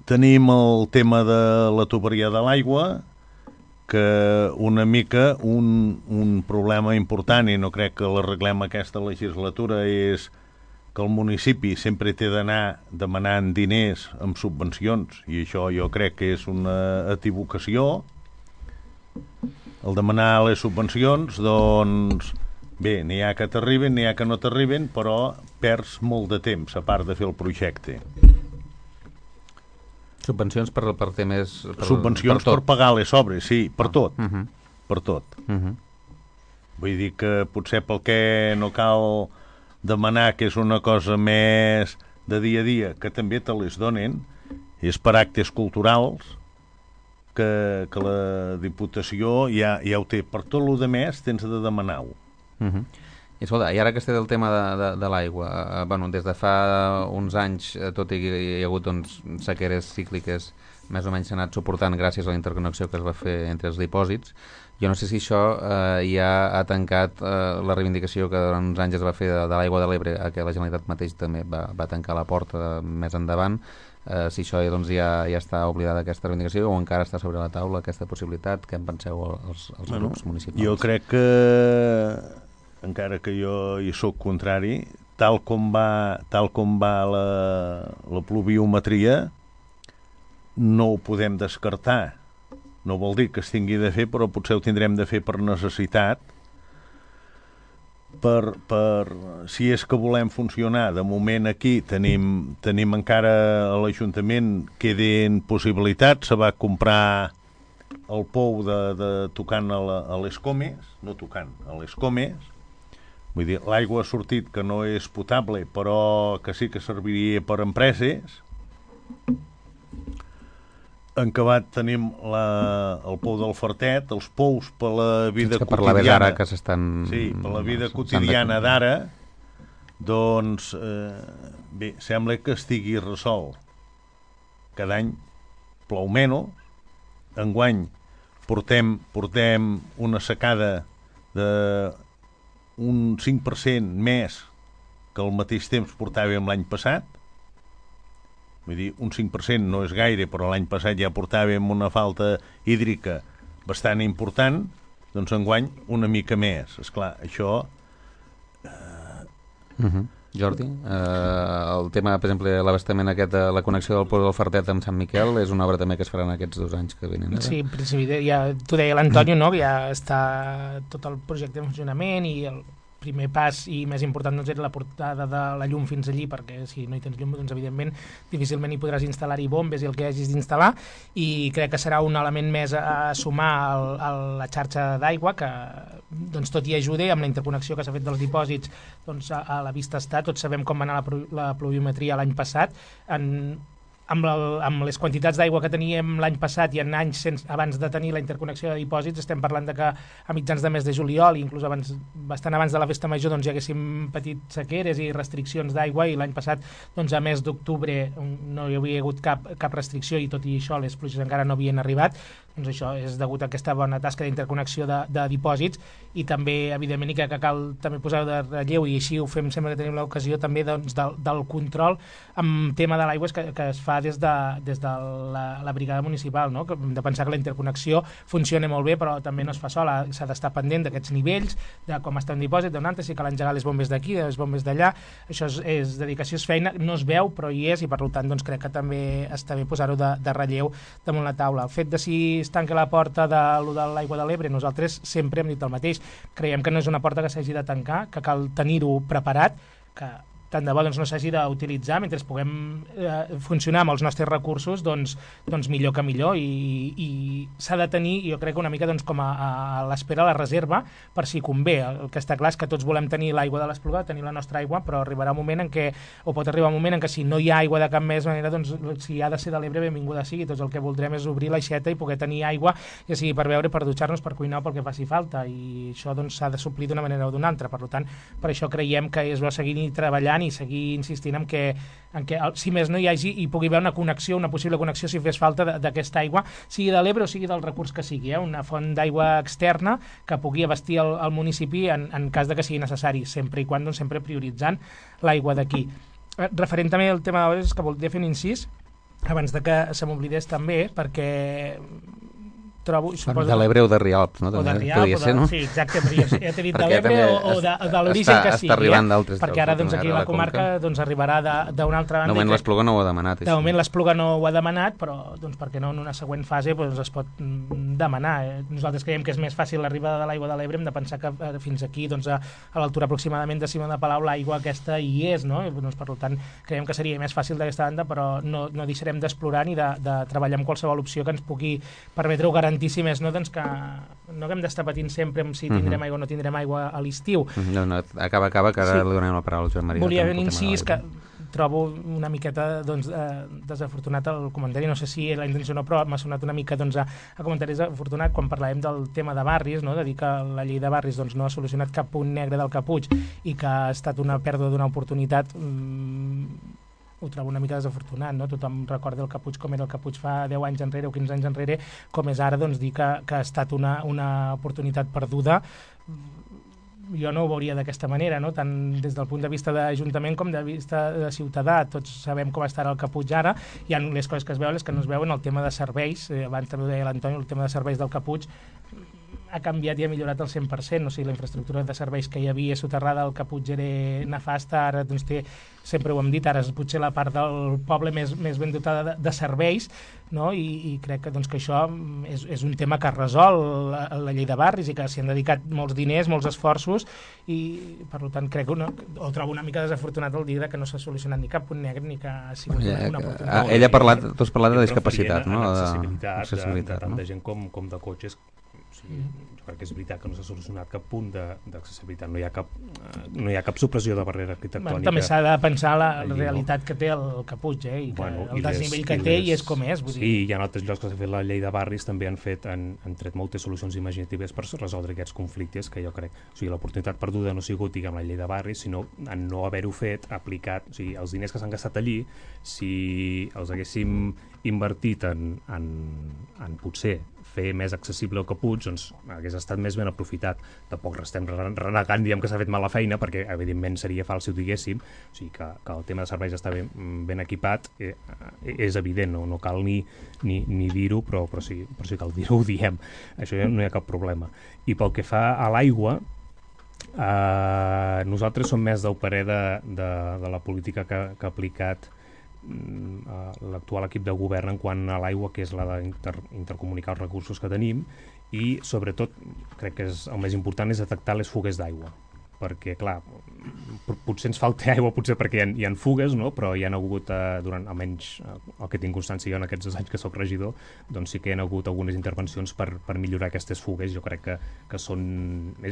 Tenim el tema de la tuberia de l'aigua, que una mica un problema important, i no crec que l'arreglem aquesta legislatura, és que el municipi sempre té d'anar demanant diners amb subvencions, i això jo crec que és una equivocació. El demanar les subvencions, doncs bé, n'hi ha que t'arriben, n'hi ha que no t'arriben, però perds molt de temps a part de fer el projecte. Subvencions per temes... Subvencions per pagar les obres, sí, per tot. Per tot. Vull dir que potser pel que no cal demanar, que és una cosa més de dia a dia, que també te les donen, és per actes culturals, que la Diputació ja ho té. Per tot el de més tens de demanar-ho. I escolta, i ara que estem del tema de l'aigua, des de fa uns anys, tot i que hi ha hagut sequeres cícliques, més o menys s'ha anat suportant gràcies a la interconnexió que es va fer entre els dipòsits. Jo no sé si això ja ha tancat la reivindicació que durant uns anys es va fer de l'aigua de l'Ebre, a què la Generalitat mateix també va tancar la porta més endavant. Si això ja està oblidada aquesta reivindicació, o encara està sobre la taula aquesta possibilitat. Què en penseu els grups municipals? Jo crec que, encara que jo hi soc contrari, tal com va la pluviometria, no ho podem descartar. No vol dir que es tingui de fer, però potser ho tindrem de fer per necessitat, si és que volem funcionar. De moment aquí tenim encara a l'Ajuntament, queden possibilitats. Se va comprar el pou de tocant a les Comes, no tocant, a les Comes. Vull dir, l'aigua ha sortit, que no és potable, però que sí que serviria per empreses. En acabat tenim el pou del Fartet, els pous per la vida quotidiana. Per la vida quotidiana d'ara, doncs, bé, sembla que estigui resolt. Cada any plou menys. Enguany portem una secada d'un 5% més que al mateix temps portàvem l'any passat. Vull dir, un 5% no és gaire, però l'any passat ja portàvem una falta hídrica bastant important, doncs enguany una mica més. Esclar, això... Jordi, el tema, per exemple, l'abastament aquest de la connexió del pou del Fartet amb Sant Miquel és una obra també que es farà en aquests 2 anys que venen. Sí, en principi, ja t'ho deia l'Antonio, no? Que ja està tot el projecte en funcionament, i el primer pas i més important doncs, era la portada de la llum fins allí, perquè si no hi tens llum, doncs evidentment difícilment hi podràs instal·lar-hi bombes i el que hagis d'instal·lar, i crec que serà un element més a sumar a la xarxa d'aigua, que doncs, tot i ajuda amb la interconnexió que s'ha fet dels dipòsits, doncs, a la vista està. Tots sabem com va anar la pluviometria l'any passat. Amb les quantitats d'aigua que teníem l'any passat i en anys abans de tenir la interconnexió de dipòsits, estem parlant de que a mitjans de mes de juliol, inclús bastant abans de la festa major, doncs, hi haguéssim patit sequeres i restriccions d'aigua, i l'any passat, doncs, a mes d'octubre no hi havia hagut cap restricció, i tot i això les pluges encara no havien arribat. Doncs això és degut a aquesta bona tasca d'interconnexió de dipòsits, i també, evidentment, i que cal també posar de relleu, i així ho fem sempre que tenim l'ocasió també, doncs, del control amb tema de l'aigua que es fa des de la brigada municipal, no? Que hem de pensar que la interconnexió funciona molt bé, però també no es fa sola, s'ha d'estar pendent d'aquests nivells, de com està un dipòsit, d'on altre, si cal engegar les bombes d'aquí, les bombes d'allà. Això és dedicació, és feina, no es veu, però hi és, i per tant doncs, crec que també està bé posar-ho de relleu damunt la taula. El fet de si es tanca la porta de l'aigua de l'Ebre, nosaltres sempre hem dit el mateix. Creiem que no és una porta que s'hagi de tancar, que cal tenir-ho preparat, que tant de bo doncs, no s'hagi d'utilitzar, mentre puguem funcionar amb els nostres recursos, doncs millor que millor, i s'ha de tenir, jo crec, una mica doncs, com a l'espera, la reserva, per si convé. El que està clar és que tots volem tenir l'aigua de l'Espluga, tenir la nostra aigua, però arribarà un moment en què, o pot arribar un moment en què si no hi ha aigua de cap més manera, doncs si ha de ser de l'Ebre, benvinguda sigui. Tots el que voldrem és obrir l'aixeta i poder tenir aigua, ja sigui per beure, per dutxar-nos, per cuinar o pel que faci falta, i això doncs s'ha de suplir d'una manera o d'una altra. Per tant, per això creiem que és bo seguir treballant treballant i seguir insistint en que si més no hi hagi i pugui haver una connexió, una possible connexió si fes falta d'aquesta aigua, sigui de l'Ebre o sigui del recurs que sigui, una font d'aigua externa que pugui abastir el municipi en cas de que sigui necessari, sempre i quan doncs, sempre prioritzant l'aigua d'aquí. Referent també al tema de l'Ebre, és que voldria fer un incís abans de que se m'oblidés també, perquè trobo... De l'Ebre o de Rialp, no? O de Rialp, no? Sí, exacte, però ja t'he dit de l'Ebre o de l'origen que sigui. Està arribant d'altres. Perquè ara doncs, aquí la comarca arribarà d'una altra banda. De moment l'Espluga no ho ha demanat. De moment l'Espluga no ho ha demanat, però doncs, per què no en una següent fase es pot demanar. Nosaltres creiem que és més fàcil l'arribada de l'aigua de l'Ebre, hem de pensar que fins aquí, a l'altura aproximadament de Cima de Palau, l'aigua aquesta hi és, no? Per tant, creiem que seria més fàcil d'aquesta banda, però no deixarem d'explorar ni de treballar amb qualsevol opció que ens pugui permetre-ho garantir, si més no, doncs que no haguem d'estar patint sempre amb si tindrem aigua o no tindrem aigua a l'estiu. Acaba, que ara li donem la paraula al Joan Maria. Volia fer un incís que trobo una miqueta desafortunat el comentari, no sé si la intenció no, però m'ha sonat una mica a comentari desafortunat quan parlàvem del tema de barris, de dir que la llei de barris no ha solucionat cap punt negre del caputx i que ha estat una pèrdua d'una oportunitat. Ho trobo una mica desafortunat, no? Tothom recorda el caputx com era el caputx fa 10 anys enrere o 15 anys enrere, com és ara dir que ha estat una oportunitat perduda. Jo no ho veuria d'aquesta manera, no? Tant des del punt de vista d'Ajuntament com de vista de ciutadà. Tots sabem com estarà el caputx ara, hi ha les coses que es veuen, les que no es veuen, el tema de serveis, abans també ho deia l'Antoni, el tema de serveis del caputx ha canviat i ha millorat al 100%, o sigui, la infraestructura de serveis que hi havia soterrada al caputx era nefasta, ara doncs té, sempre ho hem dit, ara és potser la part del poble més ben dotada de serveis, no? I crec que això és un tema que resol la llei de barris i que s'hi han dedicat molts diners, molts esforços, i per tant crec que ho trobo una mica desafortunat el dir que no s'ha solucionat ni cap punt negre ni que ha sigut una oportunitat. Ell ha parlat, tu has parlat de discapacitat, no? D'accessibilitat, tant de gent com de cotxes. Jo crec que és veritat que no s'ha solucionat cap punt d'accessibilitat, no hi ha cap supressió de barrera arquitectònica. També s'ha de pensar la realitat que té el caputx, i que el desnivell que té i és com és. Sí, hi ha altres llocs que s'ha fet la llei de barris, també han tret moltes solucions imaginatives per resoldre aquests conflictes, que jo crec, o sigui, l'oportunitat perduda no ha sigut, diguem, la llei de barris, sinó en no haver-ho fet, aplicat, o sigui, els diners que s'han gastat allí, si els haguéssim invertit en potser fer més accessible el caputx, doncs hagués estat més ben aprofitat. Tampoc estem renegant, diguem, que s'ha fet mala feina, perquè evidentment seria fals si ho diguéssim, o sigui que el tema de serveis està ben equipat, és evident, no cal ni dir-ho, però sí cal dir-ho, ho diem, això no hi ha cap problema. I pel que fa a l'aigua, nosaltres som més del parer de la política que ha aplicat l'actual equip de govern en quant a l'aigua, que és la d'intercomunicar els recursos que tenim, i sobretot crec que el més important és detectar les fugues d'aigua, perquè clar, potser ens falta aigua potser perquè hi ha fugues, no? Però hi ha hagut, durant almenys el que tinc constància jo en aquests 2 anys que soc regidor, doncs sí que hi ha hagut algunes intervencions per millorar aquestes fugues. Jo crec que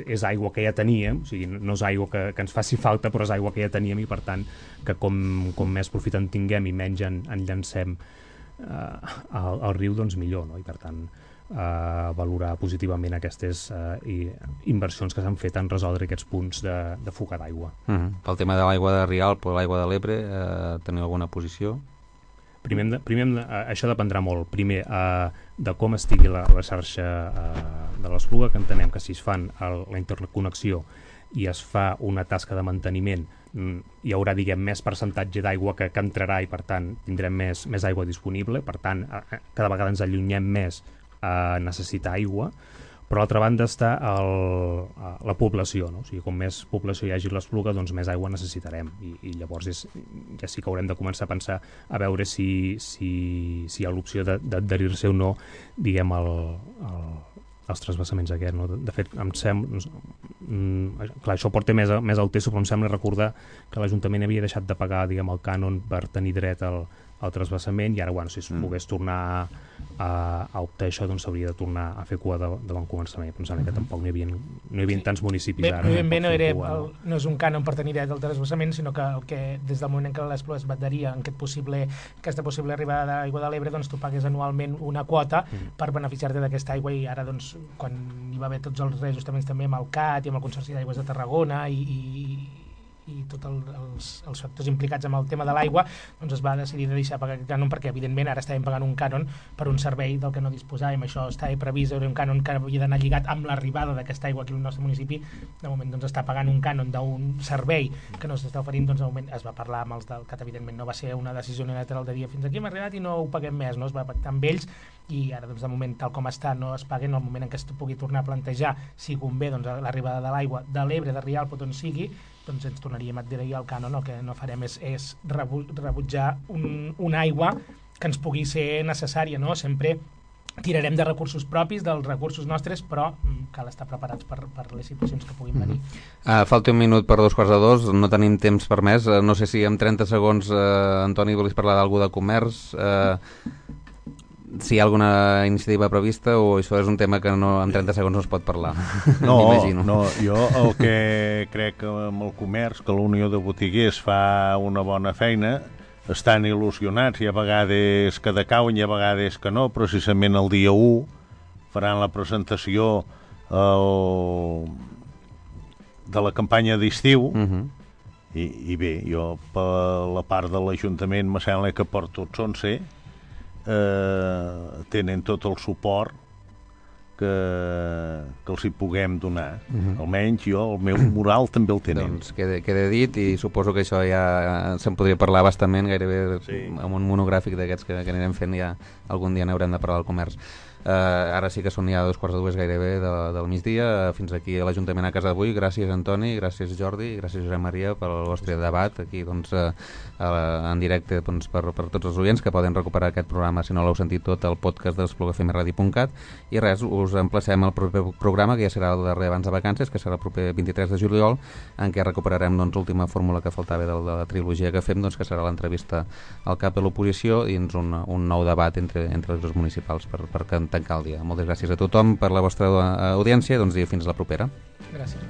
és aigua que ja teníem, o sigui, no és aigua que ens faci falta, però és aigua que ja teníem, i per tant que com més profit en tinguem i menys en llancem al riu, doncs millor, no? I per tant valorar positivament aquestes inversions que s'han fet en resoldre aquests punts de fuga d'aigua. Pel tema de l'aigua de Rialp o l'aigua de l'Ebre, teniu alguna posició? Primer això dependrà molt, primer de com estigui la xarxa de l'Espluga, que entenem que si es fan la interconnexió i es fa una tasca de manteniment, hi haurà, diguem, més percentatge d'aigua que entrarà, i per tant tindrem més aigua disponible, per tant cada vegada ens allunyem més a necessitar aigua. Per l'altra banda està la població, no? O sigui, com més població hi hagi a l'Espluga, doncs més aigua necessitarem, i llavors ja sí que haurem de començar a pensar a veure si hi ha l'opció d'adherir-se o no, diguem, els transvasaments aquests, no? De fet, em sembla, clar, això porta més al teso, però em sembla recordar que l'Ajuntament havia deixat de pagar, diguem, el cànon per tenir dret al transvassament, i ara, bueno, si es pogués tornar a optar això, doncs s'hauria de tornar a fer cua de bon començament. Pensant que tampoc no hi havia tants municipis ara. No és un cànon per tenir dret al transvassament, sinó que des del moment en què l'Espluga es va adherir en aquesta possible arribada d'aigua de l'Ebre, doncs tu pagues anualment una quota per beneficiar-te d'aquesta aigua, i ara, doncs, quan hi va haver tots els reajustaments també amb el CAT i amb el Consorci d'Aigües de Tarragona i i tots els factors implicats amb el tema de l'aigua, doncs es va decidir de deixar pagar aquest cànon perquè, evidentment, ara estàvem pagant un cànon per un servei del que no disposàvem. Això estava previst, era un cànon que havia d'anar lligat amb l'arribada d'aquesta aigua aquí al nostre municipi. De moment doncs, està pagant un cànon d'un servei que no s'està oferint. Doncs, de moment es va parlar amb els del CAT, evidentment no va ser una decisió unilateral de dia fins aquí hem arribat i no ho paguem més, no? Es va pactar amb ells i ara doncs, de moment tal com està no es paguen. En el moment en què es pugui tornar a plantejar si convé doncs, l'arribada de l'aigua de l'Ebre, de Rialp o d'on sigui, doncs ens tornaríem a adherir al cànon. El que no farem és rebutjar una aigua que ens pugui ser necessària, no? Sempre tirarem de recursos propis, dels recursos nostres, però cal estar preparats per les situacions que puguin venir. Falta un minut per 2:45, no tenim temps per més. No sé si en 30 segons, Antoni, volies parlar d'algú de comerç, si hi ha alguna iniciativa prevista, o això és un tema que no, en 30 segons no es pot parlar. No, jo el que crec que amb el comerç, que la Unió de Botiguers fa una bona feina, estan il·lusionats, hi ha vegades que decauen, hi ha vegades que no. Precisament el dia 1 faran la presentació de la campanya d'estiu, i bé, jo per la part de l'Ajuntament me sembla que per tots 11 tenen tot el suport que els hi puguem donar. Almenys jo, el meu moral també el tenen. Doncs queda dit, i suposo que això ja se'n podria parlar bastament, gairebé amb un monogràfic d'aquests que anirem fent, ja algun dia n'haurem de parlar del comerç. Ara sí que són ja 2:45 gairebé del migdia. Fins aquí a l'Ajuntament a casa d'avui. Gràcies, Antoni, gràcies, Jordi, i gràcies, Josep Maria, pel vostre debat aquí en directe per tots els oients que poden recuperar aquest programa, si no l'heu sentit tot, al podcast de l'espluguafmradio.cat. I res, us emplacem al proper programa, que ja serà el darrer abans de vacances, que serà el proper 23 de juliol, en què recuperarem l'última fórmula que faltava de la trilogia que fem, que serà l'entrevista al cap de l'oposició i un nou debat entre els grups municipals per tancar el dia. Moltes gràcies a tothom per la vostra audiència, i fins la propera. Gràcies.